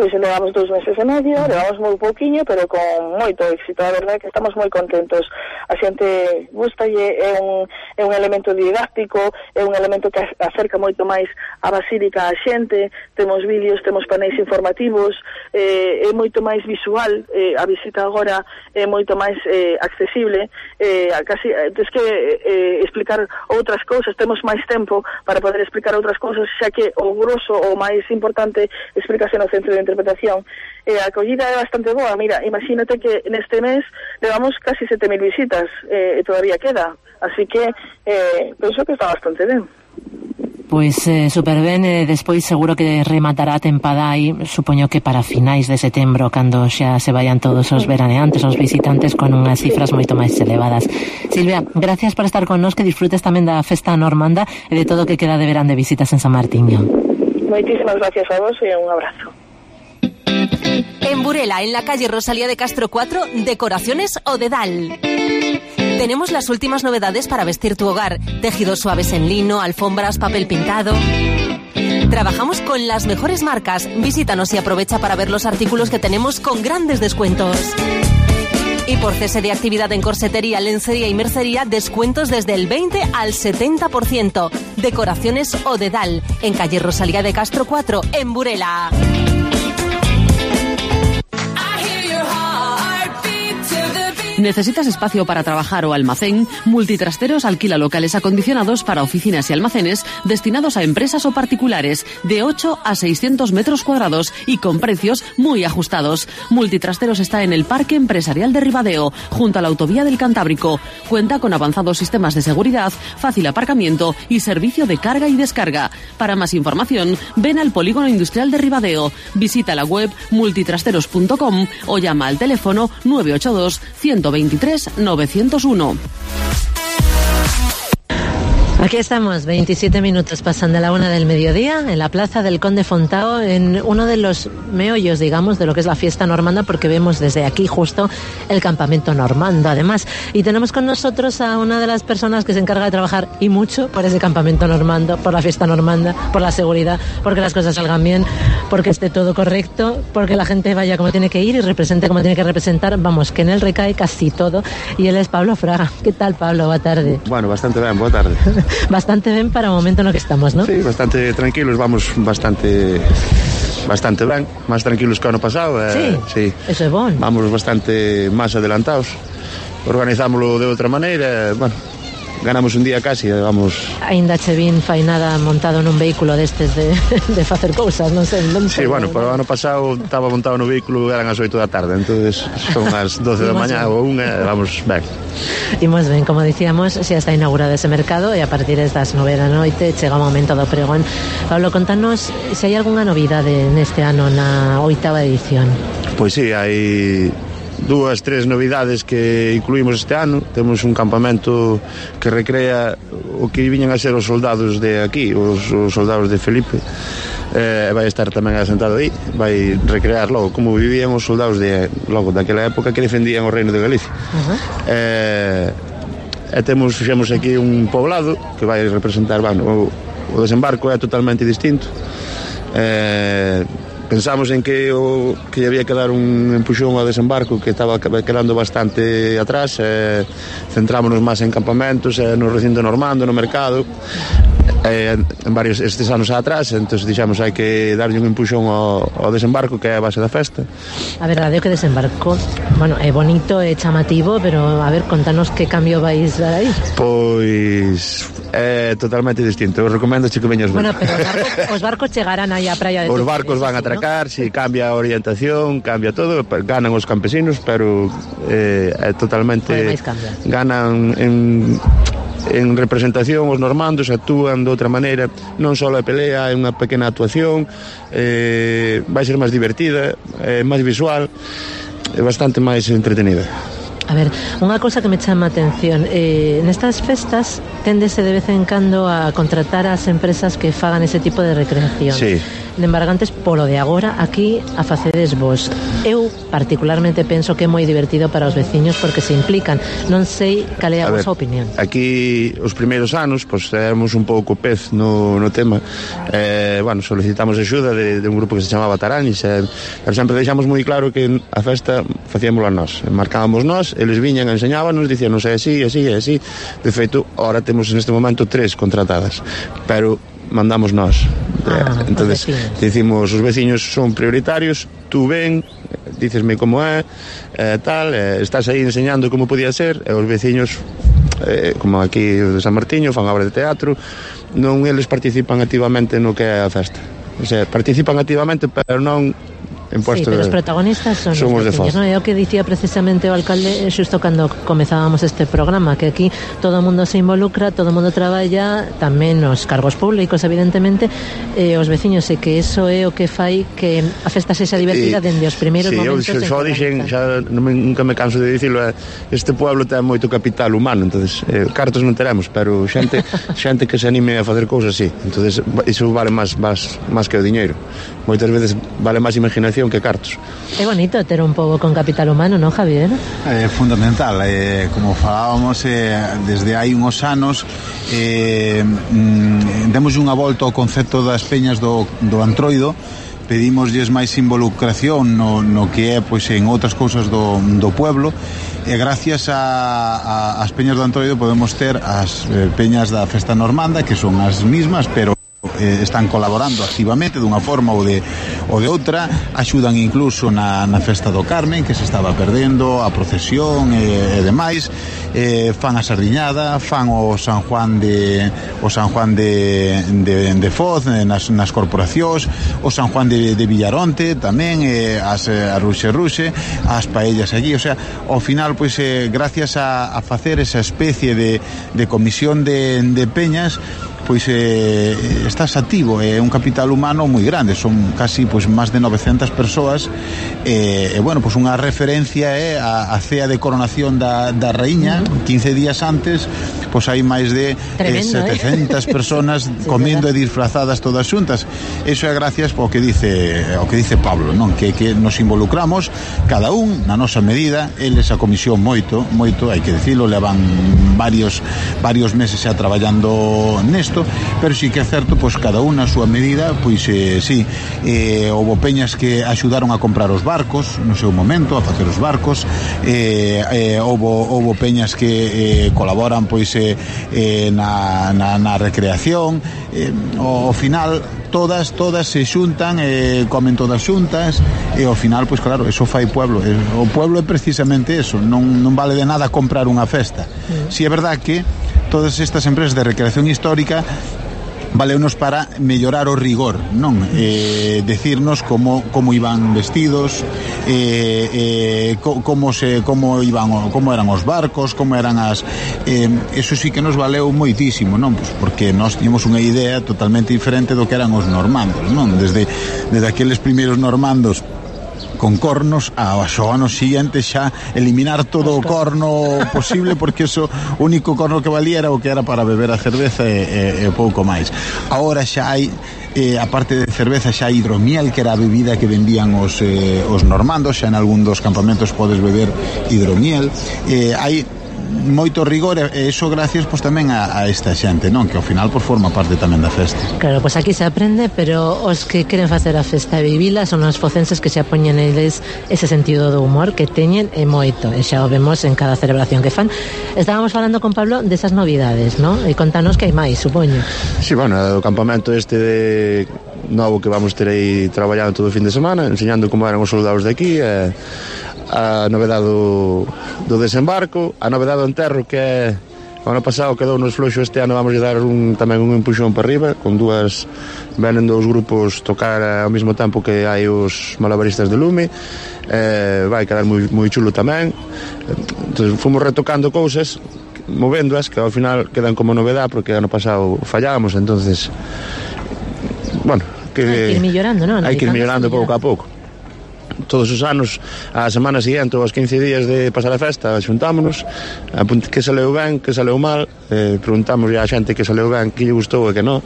Pois levamos 2 meses e medio, levamos moi pouquiño, pero con moito éxito. A verdade é que estamos moi contentos. A xente gustalle, é un elemento didáctico, é un elemento que acerca moito máis a Basílica a xente. Temos vídeos, temos paneis informativos, é moito máis visual. A visita agora é moito máis accesible. Casi tens que explicar outras cousas, temos máis tempo para poder explicar outras cousas, xa que o grosso, o máis importante, explícase no centro de interpretación. A acollida é bastante boa. Mira, imagínate que neste mes levamos casi 7.000 visitas, e todavía queda, así que penso que está bastante ben. Pois super ben, despois seguro que rematará a tempada aí, supoño que para finais de setembro, cando xa se vayan todos os veraneantes, os visitantes, con unhas cifras moito máis elevadas. Silvia, gracias por estar con nos, que disfrutes tamén da festa normanda e de todo o que queda de verán de visitas en San Martiño. Moitísimas gracias a vos e un abrazo. En Burela, en la calle Rosalía de Castro 4, Decoraciones Odedal. Tenemos las últimas novedades para vestir tu hogar. Tejidos suaves en lino, alfombras, papel pintado. Trabajamos con las mejores marcas. Visítanos y aprovecha para ver los artículos que tenemos con grandes descuentos. Y por cese de actividad en corsetería, lencería y mercería, descuentos desde el 20 al 70%. Decoraciones Odedal, en calle Rosalía de Castro 4, en Burela. ¿Necesitas espacio para trabajar o almacén? Multitrasteros alquila locales acondicionados para oficinas y almacenes destinados a empresas o particulares de 8 a 600 metros cuadrados y con precios muy ajustados. Multitrasteros está en el Parque Empresarial de Ribadeo, junto a la Autovía del Cantábrico. Cuenta con avanzados sistemas de seguridad, fácil aparcamiento y servicio de carga y descarga. Para más información, ven al Polígono Industrial de Ribadeo. Visita la web multitrasteros.com o llama al teléfono 982 123 901. Aquí estamos, 27 minutos pasan de la 1 del mediodía, en la plaza del Conde Fontao, en uno de los meollos, digamos, de lo que es la fiesta normanda, porque vemos desde aquí justo el campamento normando, además. Y tenemos con nosotros a una de las personas que se encarga de trabajar, y mucho, por ese campamento normando, por la fiesta normanda, por la seguridad, porque las cosas salgan bien, porque esté todo correcto, porque la gente vaya como tiene que ir y represente como tiene que representar. Vamos, que en él recae casi todo. Y él es Pablo Fraga. ¿Qué tal, Pablo? Boa tarde. Bueno, bastante ben, boa tarde. Bastante ben para o momento no que estamos, ¿no? Sí, bastante tranquilos, vamos bastante ben, máis tranquilos que o ano pasado. Sí, eso é bon. Vamos bastante máis adelantados, organizámoslo de outra maneira, bueno, ganamos un día casi, vamos... Ainda che vin fainada montado nun vehículo destes de facer cousas, non sei. Sí, bueno, pero o ano pasado estaba montado no vehículo, eran as 8 da tarde, entonces son as 12 da mañá ou unha, vamos ben. Imos ben, como dicíamos, xa está inaugurado ese mercado e a partir das 9 da noite chega o momento do pregón. Pablo, contanos se hai algunha novidade neste ano na 8ª edición. Pois sí, hai 2-3 novidades que incluímos este ano. Temos un campamento que recrea o que viñan a ser os soldados de aquí, os soldados de Felipe. Vai estar tamén asentado aí, vai recrear logo como vivían os soldados de logo daquela época que defendían o reino de Galicia. Fixemos aquí un poblado que vai representar, bueno, o desembarco é totalmente distinto. pensamos en que había que dar un empuxón ao desembarco que estaba quedando bastante atrás, centrámonos máis en campamentos, no recinto normando, no mercado, en varios estes anos atrás. Entón dixemos hai que darlle un empuxón ao desembarco, que é a base da festa. A verdade é que desembarco, bueno, é bonito, é chamativo, pero a ver, contanos que cambio vais dar aí. Pois é totalmente distinto. Eu recomendo que veñas ver. Bueno, pero os barcos chegarán aí á praia de Os barcos van a atracar, ¿no? Si cambia a orientación, cambia todo, ganan os campesinos, pero é totalmente ganan en representación. Os normandos actúan de outra maneira, non só a pelea, é unha pequena actuación, vai ser máis divertida, máis visual, é bastante máis entretenida. A ver, unha cousa que me chama a atención, nestas festas téndese de vez en cando a contratar as empresas que fagan ese tipo de recreación. Sí. De embargantes, polo de agora, aquí a facedes vos. Eu particularmente penso que é moi divertido para os veciños porque se implican. Non sei cal é a vosa opinión. Aquí, os primeiros anos, pues, éramos un pouco pez no tema. Bueno, solicitamos axuda de un grupo que se chamaba Taranis, pero sempre deixamos moi claro que a festa facíamola nós. Marcábamos nós, eles viñan, enseñábanos, dicíanos é así, así, é así. De feito, ahora temos neste momento 3 contratadas, pero mandamos nós. Entonces dicimos, os veciños son prioritarios, tú ven, dícesme como é, tal, estás aí enseñando como podía ser, e os veciños, como aquí de San Martiño, fan obra de teatro, non eles participan activamente no que é a festa. O sea, participan activamente, pero non en puesto. Sí, pero os protagonistas son os veciños, non? É o que dicía precisamente o alcalde xusto cando comezábamos este programa, que aquí todo o mundo se involucra, todo o mundo traballa, tamén os cargos públicos, evidentemente, os veciños, e que eso é o que fai que a festa sexa divertida dende os primeiros momentos. Sí, eu dixen, xa nunca me canso de dicilo, este pueblo ten moito capital humano, entonces cartos non teremos, pero xente que se anime a facer cousas, sí. Entonces iso vale máis que o diñeiro. Moitas veces vale máis imaginación que cartos. É bonito ter un pobo con capital humano, non, Javier? É fundamental, como falábamos desde hai uns anos, demos unha volta ao concepto das peñas do Antroido, pedimosles máis involucración no que é pois en outras cousas do pueblo, e gracias ás peñas do Antroido podemos ter as peñas da festa normanda, que son as mismas, pero están colaborando activamente dunha forma ou de outra, axudan incluso na festa do Carmen, que se estaba perdendo, a procesión e demais, fan a sardiñada, fan o San Juan de Foz nas corporacións, o San Juan de Villaronte tamén, a Ruxe, as paellas allí. O sea, ao final, pois, gracias a facer esa especie de comisión de peñas, pois estás activo, é un capital humano moi grande, son casi pois máis de 900 persoas, bueno, pois unha referencia é a cea de coronación da raíña, 15 días antes, pois hai máis de 700 personas comendo e disfrazadas todas xuntas. Eso é gracias ao que dice Pablo, non? Que nos involucramos cada un na nosa medida, eles a comisión moito, hai que dicilo, levan varios meses xa traballando nesto, pero sí que é certo, pois cada unha a súa medida, pois sí, houve peñas que axudaron a comprar os barcos no seu momento, a facer os barcos, houve peñas que colaboran pois na recreación, ao final todas se xuntan, comen todas xuntas, e ao final, pois claro, eso fai pueblo. O pueblo é precisamente eso, non vale de nada comprar unha festa. Si é verdad que todas estas empresas de recreación histórica valeunos para mellorar o rigor, non? Decirnos como iban vestidos, como eran os barcos, como eran as... eso sí que nos valeu moitísimo, non? Pues porque nós tínhamos unha idea totalmente diferente do que eran os normandos, non? Desde aqueles primeiros normandos con cornos, aos anos seguintes xa eliminar todo o corno posible, porque eso, o único corno que valía era o que era para beber a cerveza e pouco máis. Agora xa hai, aparte de cerveza, xa hai hidromiel, que era a bebida que vendían os normandos, xa en algún dos campamentos podes beber hidromiel, hai moito rigor e iso gracias pois tamén a esta xente, non? Que ao final pois forma parte tamén da festa. Claro, pois aquí se aprende, pero os que queren facer a festa e vivila son os focenses que se apoñen eles ese sentido do humor que teñen e moito, e xa o vemos en cada celebración que fan. Estábamos falando con Pablo desas novidades, non? E contanos que hai máis, supoño. Sí, bueno, o campamento este de novo que vamos ter aí traballando todo o fin de semana, enseñando como eran os soldados de aquí, a novedade do desembarco, a novedade do enterro, que é o ano pasado quedou nos floxo, este ano vamos a dar tamén un empuxón para arriba, con venen dos grupos tocar ao mesmo tempo que hai os malabaristas de lume, vai quedar moi chulo tamén. Entón, fomos retocando cousas, movéndoas, que ao final quedan como novedade, porque ano pasado fallábamos, entonces bueno, que hai que ir millorando, non? Hai que ir millorando pouco a pouco. Todos os anos, a semana seguinte ou aos 15 días de pasar a festa, xuntámonos, que saleu ben, que saleu mal, preguntamos a xente que saleu ben, que lle gustou e que non.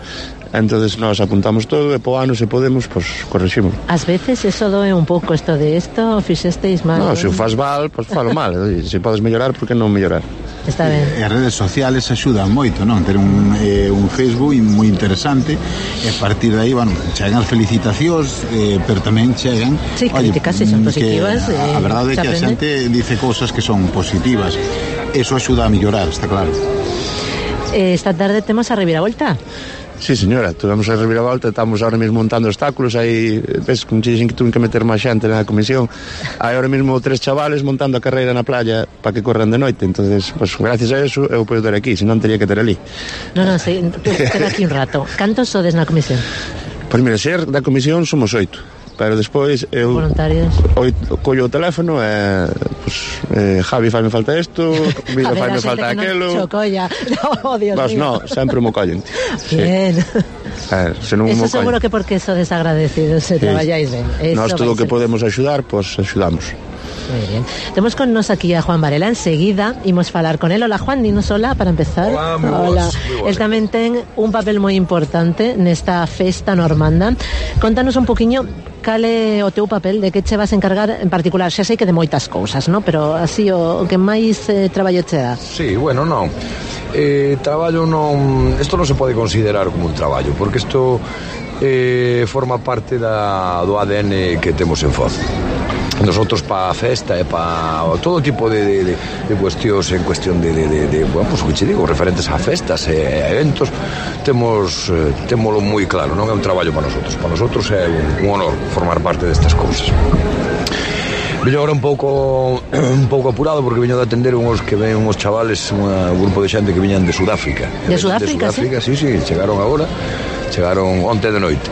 Entonces nós apuntamos todo e po ano, se podemos, pois corriximos. Ás veces eso doe un pouco isto de isto, fixesteis mal. Non, se o faz mal, pois falo mal. Se podes mellorar, por que non mellorar? Está ben. As redes sociales axudan moito, non? Ter un Facebook moi interesante e a partir de aí, bueno, chegan as felicitacións, pero tamén chegan críticas, se son positivas. A verdade é que a xente dice cousas que son positivas. Eso axuda a mellorar, está claro. Esta tarde temos a reviravolta. Sí, señora, tuvemos a reviravolta, estamos ahora mesmo montando obstáculos, aí ves que dixen que tuve que meter máis xente na comisión. Hai ahora mesmo 3 chavales montando a carreira na playa para que corran de noite, entonces, pues gracias a eso eu podo ter aquí, senón teria que ter ali. Non, sí, queda aquí un rato. Cantos sodes na comisión? Pois mira, ser da comisión somos 8. Pero despois eu voluntarios collo o teléfono e Javi faime falta isto, Vida faime falta aquelo. Chocolla. No, Dios mío. No, sempre mo collen. Bien. Eso seguro que porque so desagradecidos se traballáis ben. Nós todo o que podemos axudar, pois axudamos. Muy bien. Tenemos con nos aquí a Juan Varela. Enseguida imos falar con él. Hola, Juan, dinos hola para empezar. Hola. Él tamén ten un papel moi importante nesta festa normanda. Contanos un poquinho cal é o teu papel, de que che vas a encargar en particular. Xa sei que de moitas cousas, ¿no? Pero así o que máis traballo che dá. Sí, bueno, non. Traballo non... Isto non se pode considerar como un traballo, porque isto forma parte do ADN que temos en Foz. Nosotros para a festa e para todo tipo de cuestións en cuestión de bueno, pues que che digo, referentes a festas e eventos, témolo moi claro, non é un traballo para nosotros é un honor formar parte destas cousas. Veño agora un pouco apurado porque veño de atender uns que ven uns chavales, un grupo de xente que viñan de Sudáfrica. De Sudáfrica, sí, chegaron onte de noite.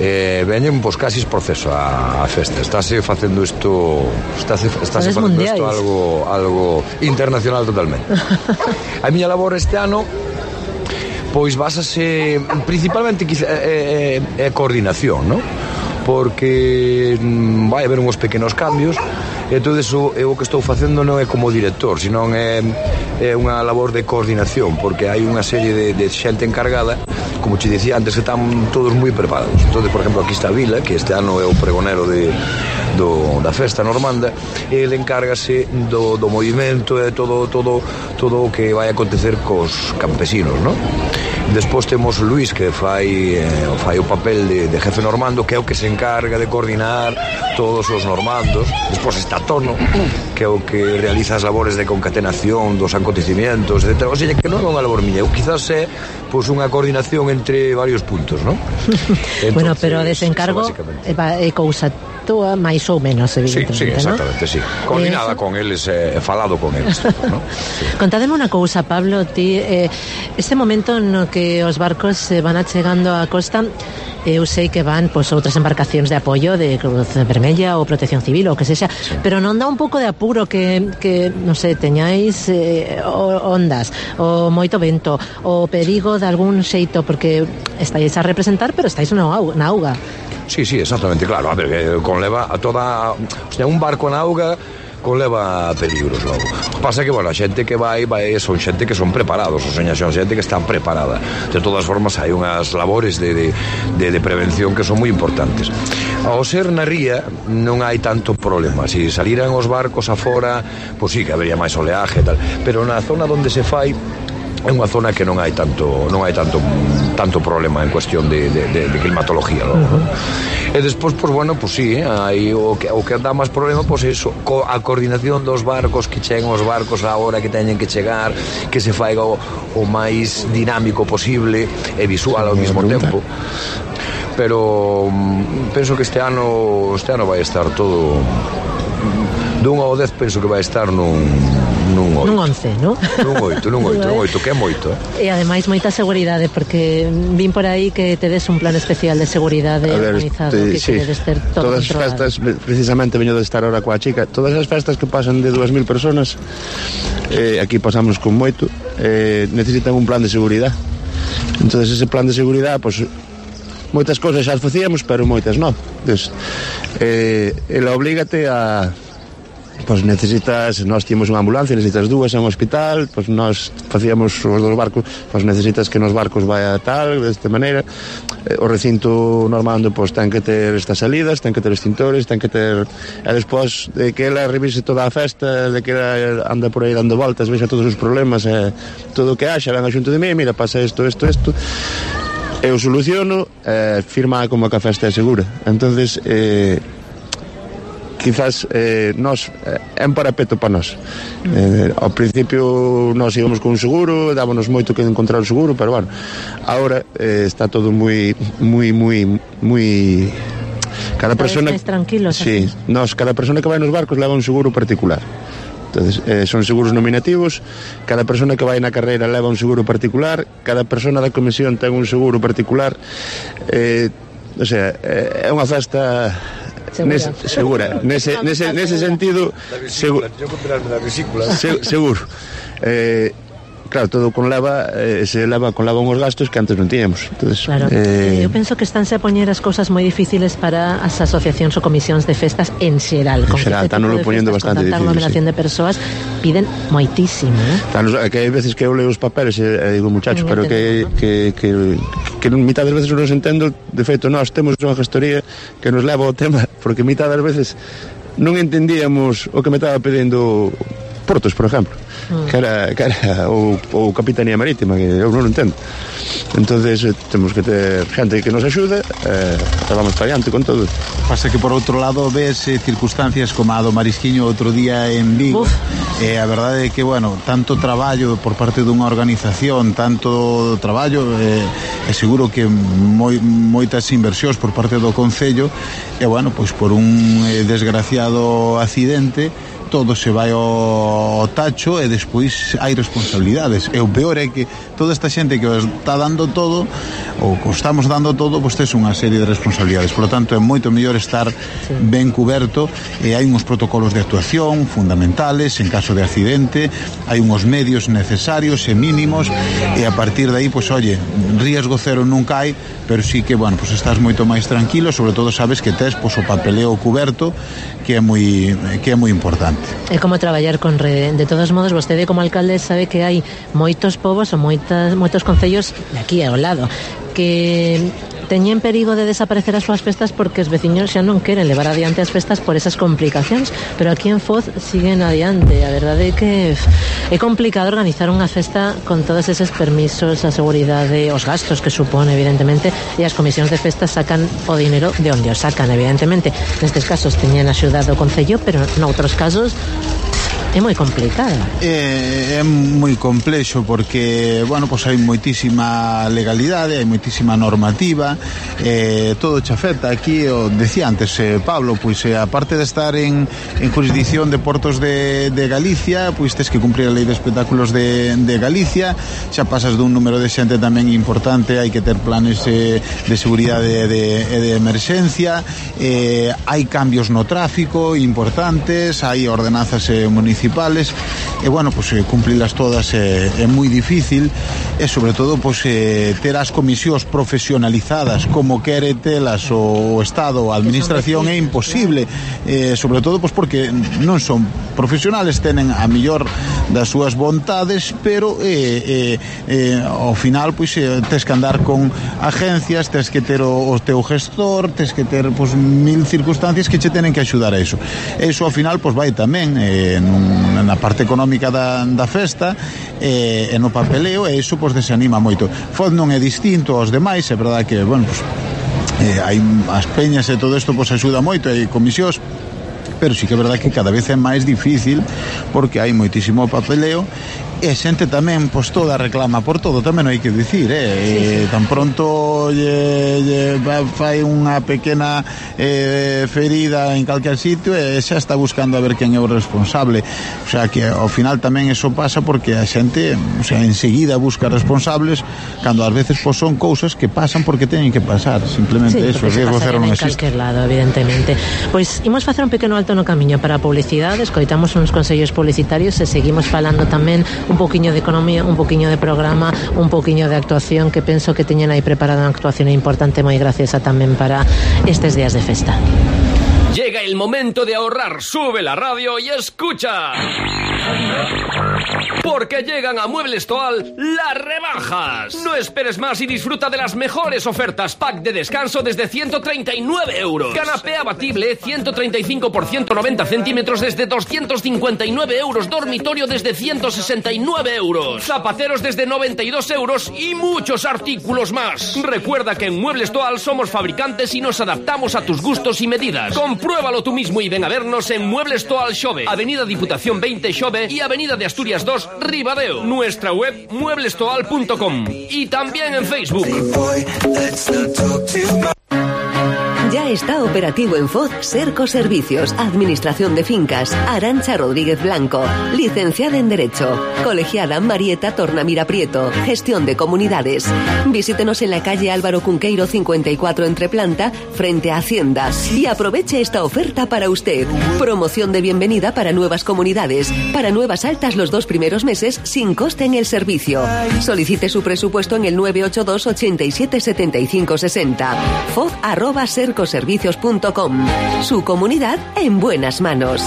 Veñen pois casi proceso a festa. Estáse facendo isto algo internacional totalmente. A miña labor este ano pois basase principalmente é coordinación, non? Porque vai haber uns pequenos cambios e todo eso o que estou facendo non é como director, senón é unha labor de coordinación, porque hai unha serie de xente encargada, como te dicía antes, que están todos moi preparados. Entonces, por exemplo, aquí está Vila, que este ano é o pregonero da festa normanda, e ele encárgase do movimento e todo o que vai acontecer cos campesinos, non? Despois temos Luís, que fai o papel de jefe normando, que é o que se encarga de coordinar todos os normandos. Despois está Tono, que é o que realiza as labores de concatenación dos acontecimientos, etc. O sea, que non é unha labor miña, quizás é pois unha coordinación entre varios puntos, non? Entonces, bueno, pero desencargo é cousa túa máis ou menos, evidentemente, sí, exactamente, ¿no? Sí. Coordinada con eles, falado con eles, ¿no? Sí. Contádeme unha cousa, Pablo, ti, este momento no que os barcos van achegando á costa, eu sei que van pois outras embarcacións de apoio de Cruz Vermella ou Protección Civil ou que sexa, sí. Pero non dá un pouco de apuro que non sei, teñáis ondas, o moito vento, o perigo de algún xeito, porque estáis a representar, pero estáis na auga. Sí, exactamente, claro. A ver, conleva a toda... O sea, un barco na auga conleva peligros logo. Pasa que, bueno, a xente que vai son xente que son preparados, ou seña, son xente que está preparada. De todas formas, hai unhas labores de prevención que son moi importantes. Ao ser na ría non hai tanto problema. Se saliran os barcos afora, pois sí que habería máis oleaje e tal, pero na zona onde se fai é unha zona que non hai tanto problema en cuestión de climatología, logo. E despois, pois bueno, pois sí, hai o que dá máis problema, pois iso, a coordinación dos barcos, que cheguen os barcos á hora que teñen que chegar, que se faiga o máis dinámico posible e visual ao mesmo tempo. Pero penso que este ano vai estar todo dun ao 10, penso que vai estar nun 8. Nun 11, non? Nun 8, que é moito. E ademais moita seguridade, porque vin por aí que tedes un plan especial de seguridade organizado, que queredes ter todo todas controlado. As festas, precisamente veño de estar ahora coa chica, todas as festas que pasan de 2000 personas, aquí pasamos con moito, necesitan un plan de seguridade. Entonces ese plan de seguridade, pues, moitas cousas xa as facíamos, pero moitas non. Entonces, ela oblígate a... Pois necesitas, nós tínhamos unha ambulancia, necesitas dúas en un hospital, pois nós facíamos os dos barcos, pois necesitas que nos barcos vaya tal, desta maneira. O recinto normando, pois ten que ter estas salidas, ten que ter extintores, ten que ter... E despois de que ela revise toda a festa, de que ela anda por aí dando voltas, vexa todos os problemas, todo o que haxa, venga xunto de mí, mira, pasa isto, eu soluciono, firma como que a festa é segura. Entonces, quizás nós é un parapeto para nós. Ao principio nós íbamos con un seguro, dábamos moito que encontrar o seguro, pero bueno, agora está todo moi cada persona máis tranquilos. Sí, nós, cada persona que vai nos barcos leva un seguro particular. Entonces, son seguros nominativos, cada persona que vai na carreira leva un seguro particular, cada persona da comisión ten un seguro particular, o sea, é unha festa segura. Nese sentido, seguro. Claro, todo conleva uns gastos que antes non tiñamos. Entonces, claro. Eu penso que estánse a poñer as cousas moi difíciles para as asociacións ou comisións de festas en xeral. En xeral, están lo poñendo bastante difícil. Con tanta aglomeración de persoas, piden moitísimo. Que hai veces que eu leo os papeles e digo, muchachos, pero que mitad das veces non os entendo. De feito, nós temos unha gestoría que nos leva ao tema, porque mitad das veces non entendíamos o que me estaba pedindo Portos, por exemplo, que era o Capitanía Marítima, que eu non entendo. Entonces temos que ter gente que nos axude, vamos para adiante con todo. Pasa que por outro lado ves circunstancias como a do Marisquiño outro día en Vigo, a verdade é que, bueno, tanto traballo por parte dunha organización, tanto traballo, seguro que moitas inversións por parte do Concello, e bueno, pois por un desgraciado accidente todo se vai ao tacho e despois hai responsabilidades. E o peor é que toda esta xente que está dando todo, ou que estamos dando todo, pois tes unha serie de responsabilidades. Por lo tanto, é moito mellor estar ben cuberto, e hai uns protocolos de actuación fundamentales en caso de accidente, hai uns medios necesarios e mínimos, e a partir de aí, pois, oye, riesgo cero nunca hai, pero sí que, bueno, pois estás moito máis tranquilo, sobre todo sabes que tes, pois, o papeleo cuberto, que é moi importante. É como traballar con rede. De todos modos, vostede como alcalde sabe que hai moitos povos ou moitos concellos de aquí ao lado que teñen perigo de desaparecer as súas festas porque os veciños xa non queren levar adiante as festas por esas complicacións, pero aquí en Foz siguen adiante. A verdade é que é complicado organizar unha festa con todos eses permisos, a seguridade, os gastos que supone, evidentemente, e as comisións de festas sacan o dinero de onde o sacan, evidentemente. Nestes casos teñen axudado o Concello, pero noutros casos é moi complicado. É moi complexo porque, bueno, pois hai moitísima legalidade, hai moitísima normativa, todo che afecta. Aquí, o decía antes Pablo, pois aparte de estar en jurisdicción de Portos de Galicia, pois tes que cumprir a Lei de Espectáculos de Galicia, xa pasas dun número de xente tamén importante, hai que ter planes de seguridade e de emerxencia, hai cambios no tráfico importantes, hai ordenanzas municipais, e bueno, pues cumprilas todas é moi difícil, e sobre todo pues ter as comisións profesionalizadas como quere telas o Estado, a administración, é imposible, sobre todo pues porque non son profesionales, tenen a mellor das súas vontades, pero ao final pois tes que andar con agencias, tes que ter o teu gestor, tes que ter pois mil circunstancias que che tenen que axudar a iso. Iso ao final pois vai tamén na parte económica da festa e no papeleo, e iso pois desanima moito. FOD non é distinto aos demais, é verdade que, bueno, pois hai as peñas e todo isto pois axuda moito, hai comisións, pero sí que é verdade que cada vez é máis difícil porque hai moitísimo papeleo e a xente tamén pois toda reclama por todo, tamén hai que dicir, tan pronto fai unha pequena ferida en calquer sitio e xa está buscando a ver quen é o responsable. O sea que ao final tamén eso pasa porque a xente, o sea, enseguida busca responsables cando ás veces pois son cousas que pasan porque teñen que pasar, simplemente eso, o riesgo cero non existe. En calquer lado, evidentemente. Pois imos facer un pequeno alto no camiño para a publicidade, escoitamos uns consellos publicitarios e seguimos falando tamén un poquinho de economía, un poquinho de programa, un poquinho de actuación, que penso que teñen aí preparada unha actuación importante moi graciosa tamén para estes días de festa. Llega el momento de ahorrar, sube la radio y escucha. Porque llegan a Muebles Toal las rebajas. No esperes más y disfruta de las mejores ofertas. Pack de descanso desde 139 euros. Canapé abatible 135 por 190 centímetros desde 259 euros. Dormitorio desde 169 euros. Zapateros desde 92 euros y muchos artículos más. Recuerda que en Muebles Toal somos fabricantes y nos adaptamos a tus gustos y medidas. Compruébalo tú mismo y ven a vernos en Muebles Toal Xove, Avenida Diputación 20 Xove y Avenida de Asturias 2 Ribadeo. Nuestra web mueblestoal.com y también en Facebook. Ya está operativo en FOD Serco Servicios, Administración de Fincas. Arantxa Rodríguez Blanco, licenciada en Derecho. Colegiada Marieta Tornamira Prieto, Gestión de Comunidades. Visítenos en la calle Álvaro Cunqueiro 54 Entreplanta, frente a Hacienda. Y aproveche esta oferta para usted. Promoción de bienvenida para nuevas comunidades. Para nuevas altas los 2 primeros meses sin coste en el servicio. Solicite su presupuesto en el 982 87 75 60. FOD@sercoservicios.com. Su comunidad en buenas manos.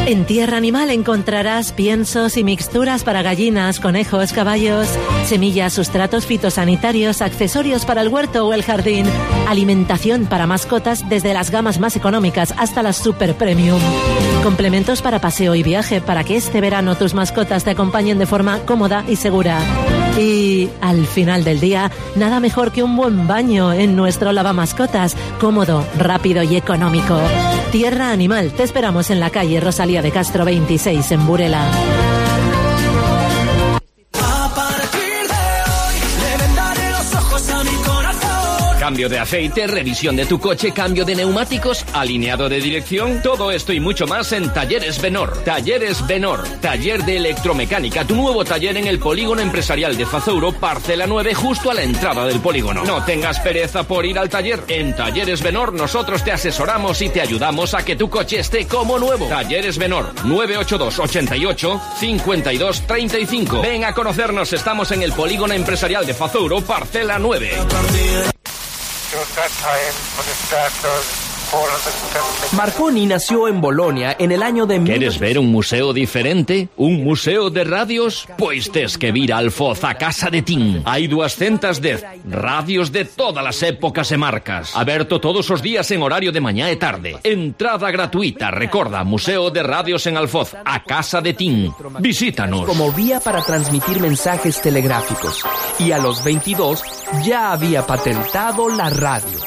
En Tierra Animal encontrarás piensos y mixturas para gallinas, conejos, caballos, semillas, sustratos fitosanitarios, accesorios para el huerto o el jardín, alimentación para mascotas desde las gamas más económicas hasta las super premium, complementos para paseo y viaje para que este verano tus mascotas te acompañen de forma cómoda y segura. Y al final del día, nada mejor que un buen baño en nuestro lavamascotas, cómodo, rápido y económico. Tierra Animal, te esperamos en la calle Rosalía de Castro 26 en Burela. Cambio de aceite, revisión de tu coche, cambio de neumáticos, alineado de dirección, todo esto y mucho más en Talleres Benor. Talleres Benor, taller de electromecánica, tu nuevo taller en el Polígono Empresarial de Fazouro, parcela 9, justo a la entrada del polígono. No tengas pereza por ir al taller. En Talleres Benor nosotros te asesoramos y te ayudamos a que tu coche esté como nuevo. Talleres Benor, 982 88 52 35. Ven a conocernos, estamos en el Polígono Empresarial de Fazouro, parcela 9. Marconi nació en Bolonia en el año de... ¿Quieres ver un museo diferente? ¿Un museo de radios? Pues tes que vir al FOZ a casa de Tin. Hai 200 radios de todas las épocas e marcas. Aberto todos os días en horario de mañá e tarde. Entrada gratuita, recorda, Museo de Radios en Alfoz, a casa de Tin. Visítanos. Como vía para transmitir mensajes telegráficos. Y a los 22 ya había patentado la radio.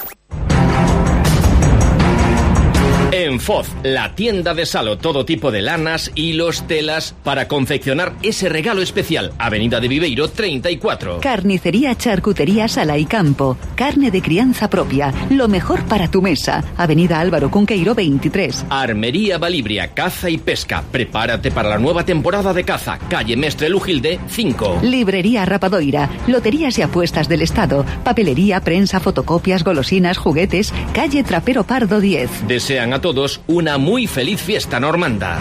En FOZ, la tienda de Salo, todo tipo de lanas, hilos, telas, para confeccionar ese regalo especial. Avenida de Viveiro 34. Carnicería, charcutería, sala y campo. Carne de crianza propia, lo mejor para tu mesa. Avenida Álvaro Cunqueiro 23. Armería Balibria, caza y pesca. Prepárate para la nueva temporada de caza. Calle Mestre Lujilde 5. Librería Rapadoira, loterías y apuestas del Estado. Papelería, prensa, fotocopias, golosinas, juguetes. Calle Trapero Pardo 10. Desean a todos una muy feliz fiesta normanda.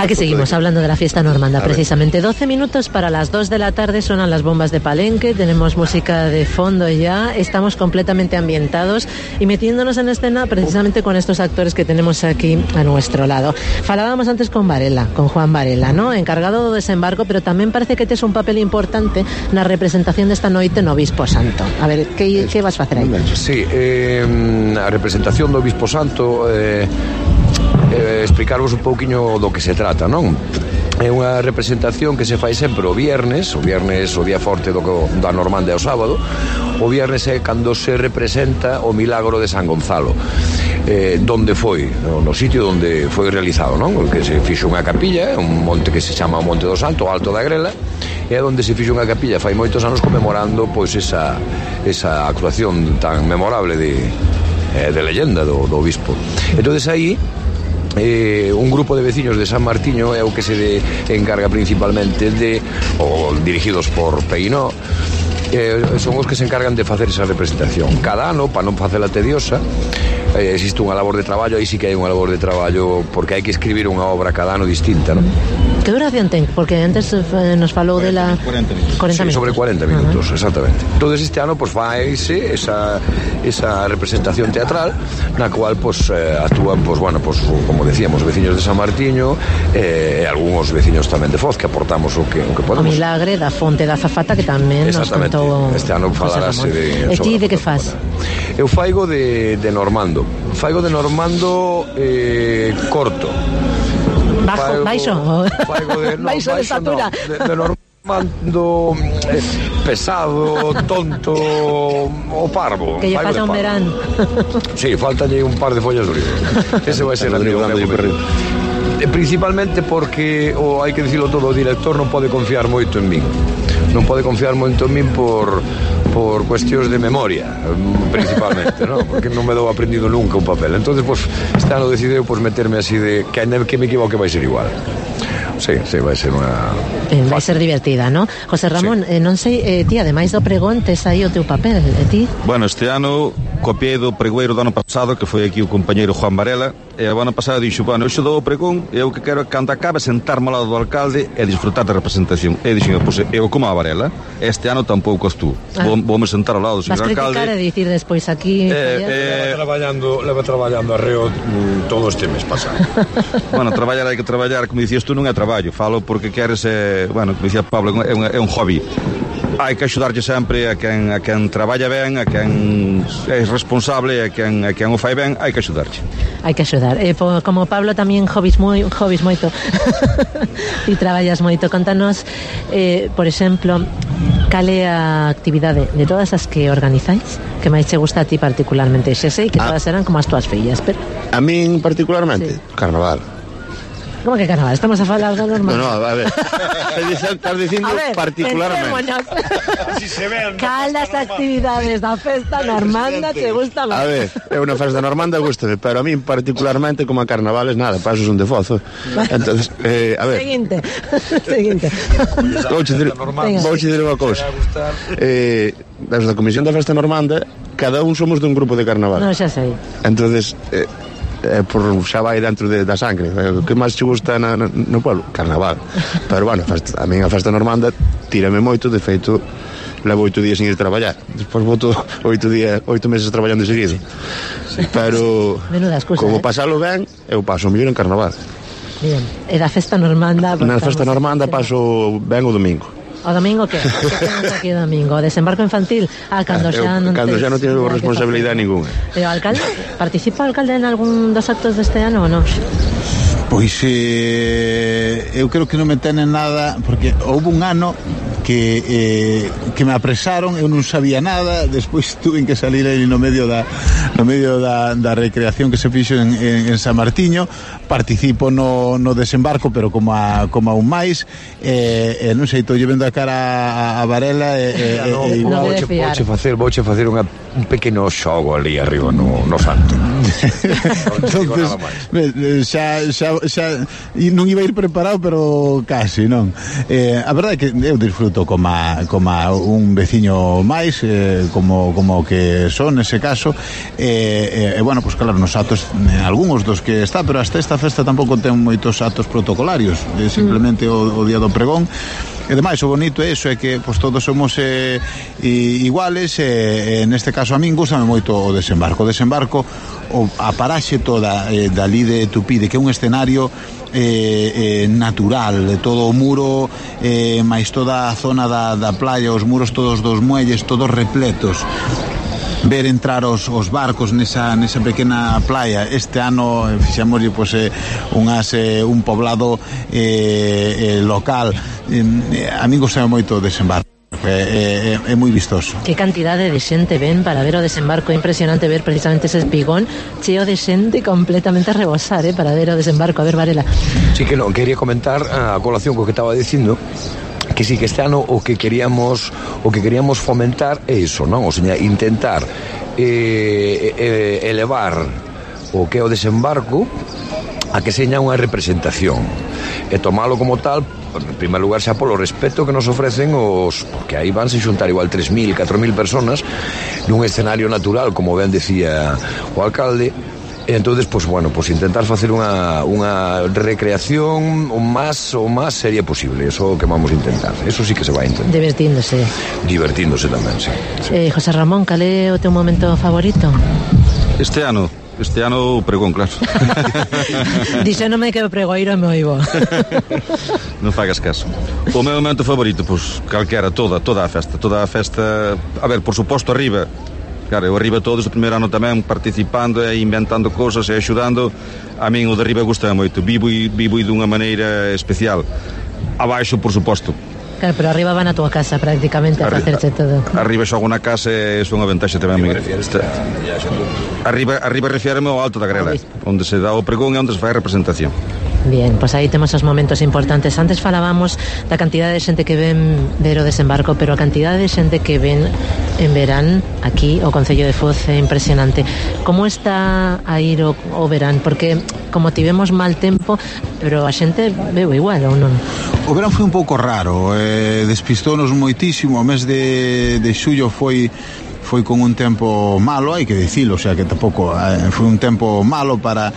Aquí seguimos hablando de la fiesta normanda, precisamente. 12 minutos para las 2 de la tarde, suenan las bombas de Palenque, tenemos música de fondo ya, estamos completamente ambientados y metiéndonos en escena precisamente con estos actores que tenemos aquí a nuestro lado. Falábamos antes con Varela, con Juan Varela, ¿no? Encargado do desembarco, pero tamén parece que tes un papel importante na representación desta noite no Obispo Santo. A ver, que vas facer aí? Sí, a representación do Obispo Santo, explicarvos un pouquiño do que se trata, non? É unha representación que se fai sempre o viernes o día forte da Normanda é o sábado. O viernes é cando se representa o milagro de San Gonzalo, donde foi, no sitio onde foi realizado, non? Que se fixo unha capilla, un monte que se chama o Monte do Salto, o Alto da Grela, é onde se fixo unha capilla fai moitos anos conmemorando pois esa actuación tan memorable de leyenda do obispo. Entonces aí un grupo de veciños de San Martiño é o que se encarga principalmente dirigidos por Peinó, son os que se encargan de facer esa representación. Cada ano, para non facela tediosa, existe unha labor de traballo, aí sí que hai unha labor de traballo, porque hai que escribir unha obra cada ano distinta, non? Que duración ten? Porque antes nos falou de la... 40 minutos. Sí, sobre 40 minutos, exactamente. Entonces este ano, pues, faise esa representación teatral, na cual, pues, actúan, pues, bueno, pues, como decíamos, veciños de San Martiño, e algúns veciños tamén de Foz, que aportamos o que podemos. O milagre da Fonte da Zafata, que tamén nos contou... Este ano falarase de... E ti de que faz? Eu faigo de Normando. Faigo de Normando corto. Baixo de estatura. De Normando pesado, tonto o parvo. Que lle falta un verán. Sí, faltalle un par de follas de olivo. Ese vai ser principalmente porque, hai que dicilo todo, o director non pode confiar moito en min. Non pode confiar moito en min por cuestións de memoria, principalmente, ¿no? Porque non me dou aprendido nunca un papel. Entonces, pues, este ano decideu meterme así de que me equivoque vai ser igual. Sí, vai ser unha... vai ser divertida, ¿no? José Ramón, sí. Non sei, ti, ademais do pregón, tes aí o teu papel, e ti? Bueno, este ano copiei do pregoeiro do ano pasado, que foi aquí o compañeiro Juan Varela, e o ano pasado dixo, bueno, eu xe dou o pregón, e eu que quero, cando acabe, sentarme ao lado do alcalde e disfrutar da representación. E dixo, pois, eu como a Varela, este ano tampouco estú. Voume sentar ao lado do señor alcalde. Vas criticar e dicir despois aquí... Leva traballando arreo todo este mes pasado. Bueno, traballar hai que traballar, como dicías tú, non é traballo, falo porque queres, bueno, como dicía Pablo, é un hobby. Hai que axudarlle sempre a quen traballa ben, a quen é responsable, a quen o fai ben, hai que axudarlle. Hai que axudar. Como Pablo tamén hobbies moito. Ti traballas moito. Contanos, por exemplo, cal é a actividade de todas as que organizáis que máis che gusta a ti particularmente? Xa sei que todas eran como as túas fillas, pero... A min particularmente, sí. Carnaval. Como que carnaval? Estamos a falar da normal. No, a ver. Estás dicindo particularmente. Si se ven. Cal das actividades da festa normanda te gusta máis? A ver, é unha festa normanda gústame, pero a min particularmente como a carnavales nada, pasos un defozo. Entonces, a ver. Seguinte. Vouche dicir unha cousa. Desde a Comisión da Festa Normanda, cada un somos dun grupo de carnaval. Non, xa sei. Entonces, por xa vai dentro da sangre. O que máis che gusta no pueblo? Carnaval. Pero bueno, a min a festa normanda tírame moito, de feito levo 8 días sin ir traballar. Despois voto 8 meses traballando seguido. Pero como pasalo ben, eu paso mellor en carnaval. Bien, e da festa normanda? Na festa normanda paso ben o domingo. O domingo que? Que temos aquí o domingo? O desembarco infantil? Cando xa non teño responsabilidade ninguna. E o alcalde? Participa o alcalde en algún dos actos deste ano ou non? Pois eu creo que non me tenen nada, porque houve un ano que me apresaron, eu non sabía nada, despois tuve que salir aí no medio da recreación que se fixo en San Martiño. Participo no desembarco, pero como a un máis, non sei, estou vendo a cara a Varela vouche facer un pequeno xogo ali arriba no santo. Entonces, xa non iba a ir preparado, pero casi, non? A verdade é que eu disfruto como un veciño máis, como que son nese caso, bueno, pues claro, nos atos algúns dos que está, pero hasta esta festa tampouco ten moitos atos protocolarios, simplemente o día do pregón. E demais, o bonito é iso, é que pues, todos somos iguales, neste caso a min gustame moito o desembarco. O desembarco, a paraxe toda dali de Tupide, que é un escenario natural, todo o muro, máis toda a zona da playa, os muros todos dos muelles, todos repletos. Ver entrar os barcos nesa pequena playa. Este ano fixemos pues, un poblado local. A mí gostame moito o desembarco. É moi vistoso. Que cantidade de xente ven para ver o desembarco. É impresionante ver precisamente ese espigón cheo de xente completamente a rebosar, para ver o desembarco. A ver, Varela. Sí, que non, quería comentar a colación co que estaba dicindo, que sí, que este ano o que queríamos fomentar é iso, non? O sea, intentar elevar o que é o desembarco a que seña unha representación e tomalo como tal, en primer lugar xa polo respeto que nos ofrecen porque aí vanse xuntar igual 3.000, 4.000 personas nun escenario natural, como ben decía o alcalde. Entonces, pues bueno, pues intentar facer unha recreación o máis seria posible. Eso que vamos a intentar. Eso sí que se vai a intentar. Divertíndose tamén, sí. José Ramón, cal é o teu momento favorito? Este ano o pregón, claro. Dixénome que o pregoiro me oivo. Non fagas caso. O meu momento favorito, pues calquera, toda a festa. A ver, por suposto, arriba. Claro, eu arriba todos o primeiro ano tamén participando e inventando cousas e axudando. A min o de arriba gusta moito, vivo dunha maneira especial. Abaixo, por suposto. Claro, pero arriba van a túa casa prácticamente a facerse todo. Arriba xogo na casa e é unha ventaxa tamén. Arriba refiérame ao Alto da Grela, onde se dá o pregón e onde se fai a representación. Bien, pues aí temos os momentos importantes. Antes falábamos da cantidade de xente que ven ver o desembarco, pero a cantidade de xente que ven en verán aquí o Concello de Foz é impresionante. Como está a ir o verán? Porque como tivemos mal tempo, pero a xente veo igual, ou non? O verán foi un pouco raro, despistónos moitísimo. O mes de xullo foi con un tempo malo, hai que dicilo, o sea que tampouco foi un tempo malo para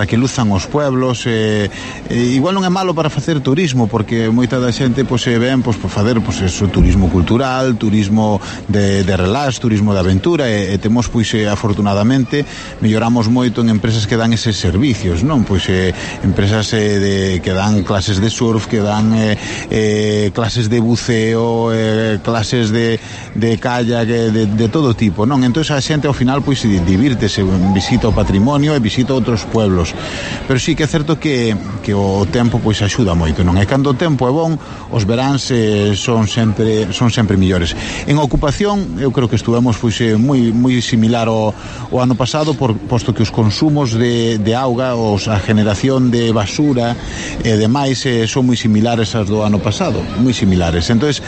que luzan os pueblos. Igual non é malo para facer turismo, porque moita da xente ven por facer eso, turismo cultural, turismo de relax, turismo de aventura, e temos afortunadamente melloramos moito en empresas que dan eses servicios, non? Empresas que dan clases de surf, que dan clases de buceo, clases de kayak, de todo tipo, non? Entón a xente ao final divírtese, visita o patrimonio e visita outros pueblos, pero sí que é certo que o tempo axuda moito, non? E cando o tempo é bon, os veráns son sempre millores. En ocupación, eu creo que estuvemos moi similar ao ano pasado, posto que os consumos de auga, a generación de basura e demais son moi similares ás do ano pasado, moi similares. Entonces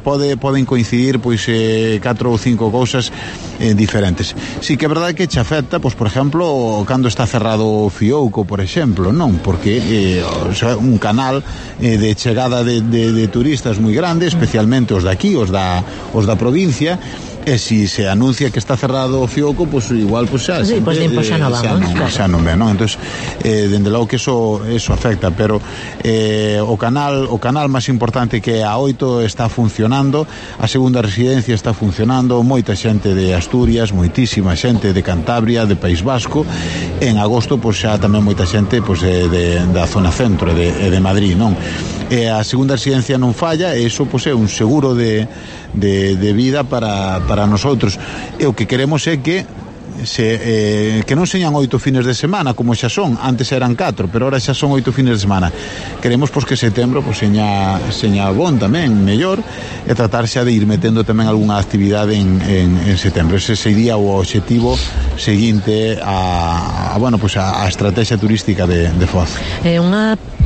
poden coincidir 4 ou 5 cousas diferentes. Sí que é verdade que che afecta, por exemplo, cando está cerrado o Fiouco, por exemplo, non? Porque un canal de chegada de turistas moi grande, especialmente os de aquí, os da provincia, e si se anuncia que está cerrado o Fiouco, igual xa non ve, non? Entón, dende logo que eso afecta, pero o canal máis importante, que é a 8, está funcionando, a segunda residencia está funcionando, moita xente de Asturias, moitísima xente de Cantabria, de País Vasco, en agosto xa tamén moita xente da zona centro de Madrid, non? E a segunda residencia non falla, e iso é un seguro de vida para nosotros. E o que queremos é que non señan 8 fines de semana como xa son, antes eran 4, pero ahora xa son 8 fines de semana. Queremos que setembro seña bon tamén, mellor, e tratar xa de ir metendo tamén algunha actividade en setembro. Ese sería o obxectivo seguinte a estrategia turística de Foz.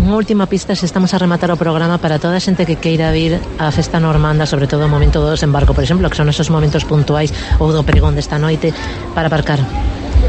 Unha última pista, se estamos a rematar o programa, para toda a xente que queira vir á festa normanda, sobre todo o momento do desembarco, por exemplo, que son esos momentos puntuais, ou do pregón desta noite, para aparcar?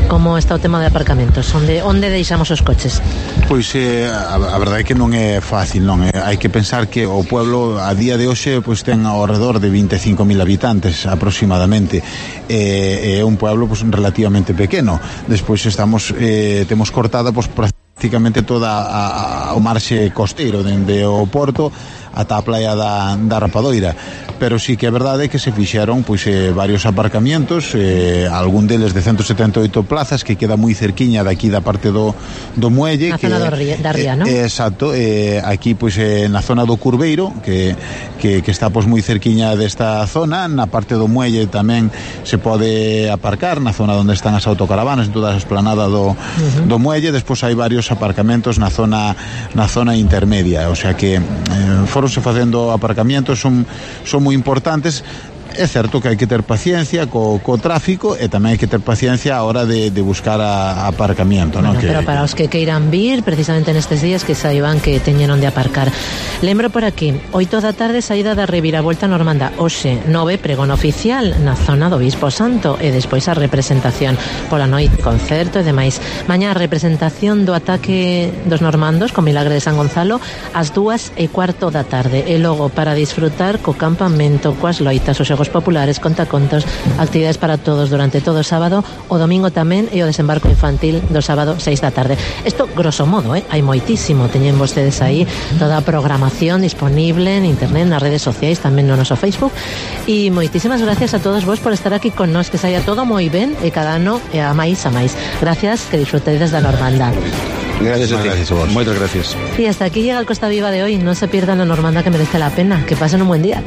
Como está o tema de aparcamentos? Onde deixamos os coches? Pois a verdade é que non é fácil, non é? Hai que pensar que o pueblo a día de hoxe pois ten ao redor de 25.000 habitantes aproximadamente. É un pueblo pois relativamente pequeno. Despois temos cortada pois prácticamente toda o marxe costeiro dende o porto ata a playa da Rapadoira, pero sí que é verdade que se fixeron pois varios aparcamientos, algún deles de 178 plazas, que queda moi cerquiña daqui da parte do muelle, na zona da Ría, non? Exacto, aquí pois na zona do Curveiro, que está pois moi cerquiña desta zona. Na parte do muelle tamén se pode aparcar na zona onde están as autocaravanas, en toda a esplanada do muelle. Despois hai varios aparcamentos na zona intermedia, o sea que foronse facendo aparcamientos, son moi importantes. É certo que hai que ter paciencia co tráfico e tamén hai que ter paciencia a hora de buscar aparcamiento, bueno, ¿no? Pero para os que queiran vir precisamente nestes días, que saiban que teñen onde aparcar. Lembro por aquí, 8 da tarde saída da reviravolta normanda, hoxe 9 pregón oficial na zona do Bispo Santo e despois a representación pola noite, concerto e demais. Mañá a representación do ataque dos normandos con Milagre de San Gonzalo ás 2:15 da tarde e logo para disfrutar co campamento, coas loitas, os xogos populares, contacontos, actividades para todos durante todo o sábado, o domingo tamén e o desembarco infantil do sábado 6 da tarde. Isto grosso modo, hai moitísimo, teñen vostedes aí toda a programación disponible en internet, nas redes sociais, tamén no noso Facebook, e moitísimas gracias a todos vos por estar aquí con nós, que saia todo moi ben e cada ano e a máis. Gracias, que disfrutéis da Normandad. Gracias a ti. Gracias a vos. Muchas gracias. Y hasta aquí llega el Costa Viva de hoy. No se pierdan la Normandad, que merece la pena. Que pasen un buen día.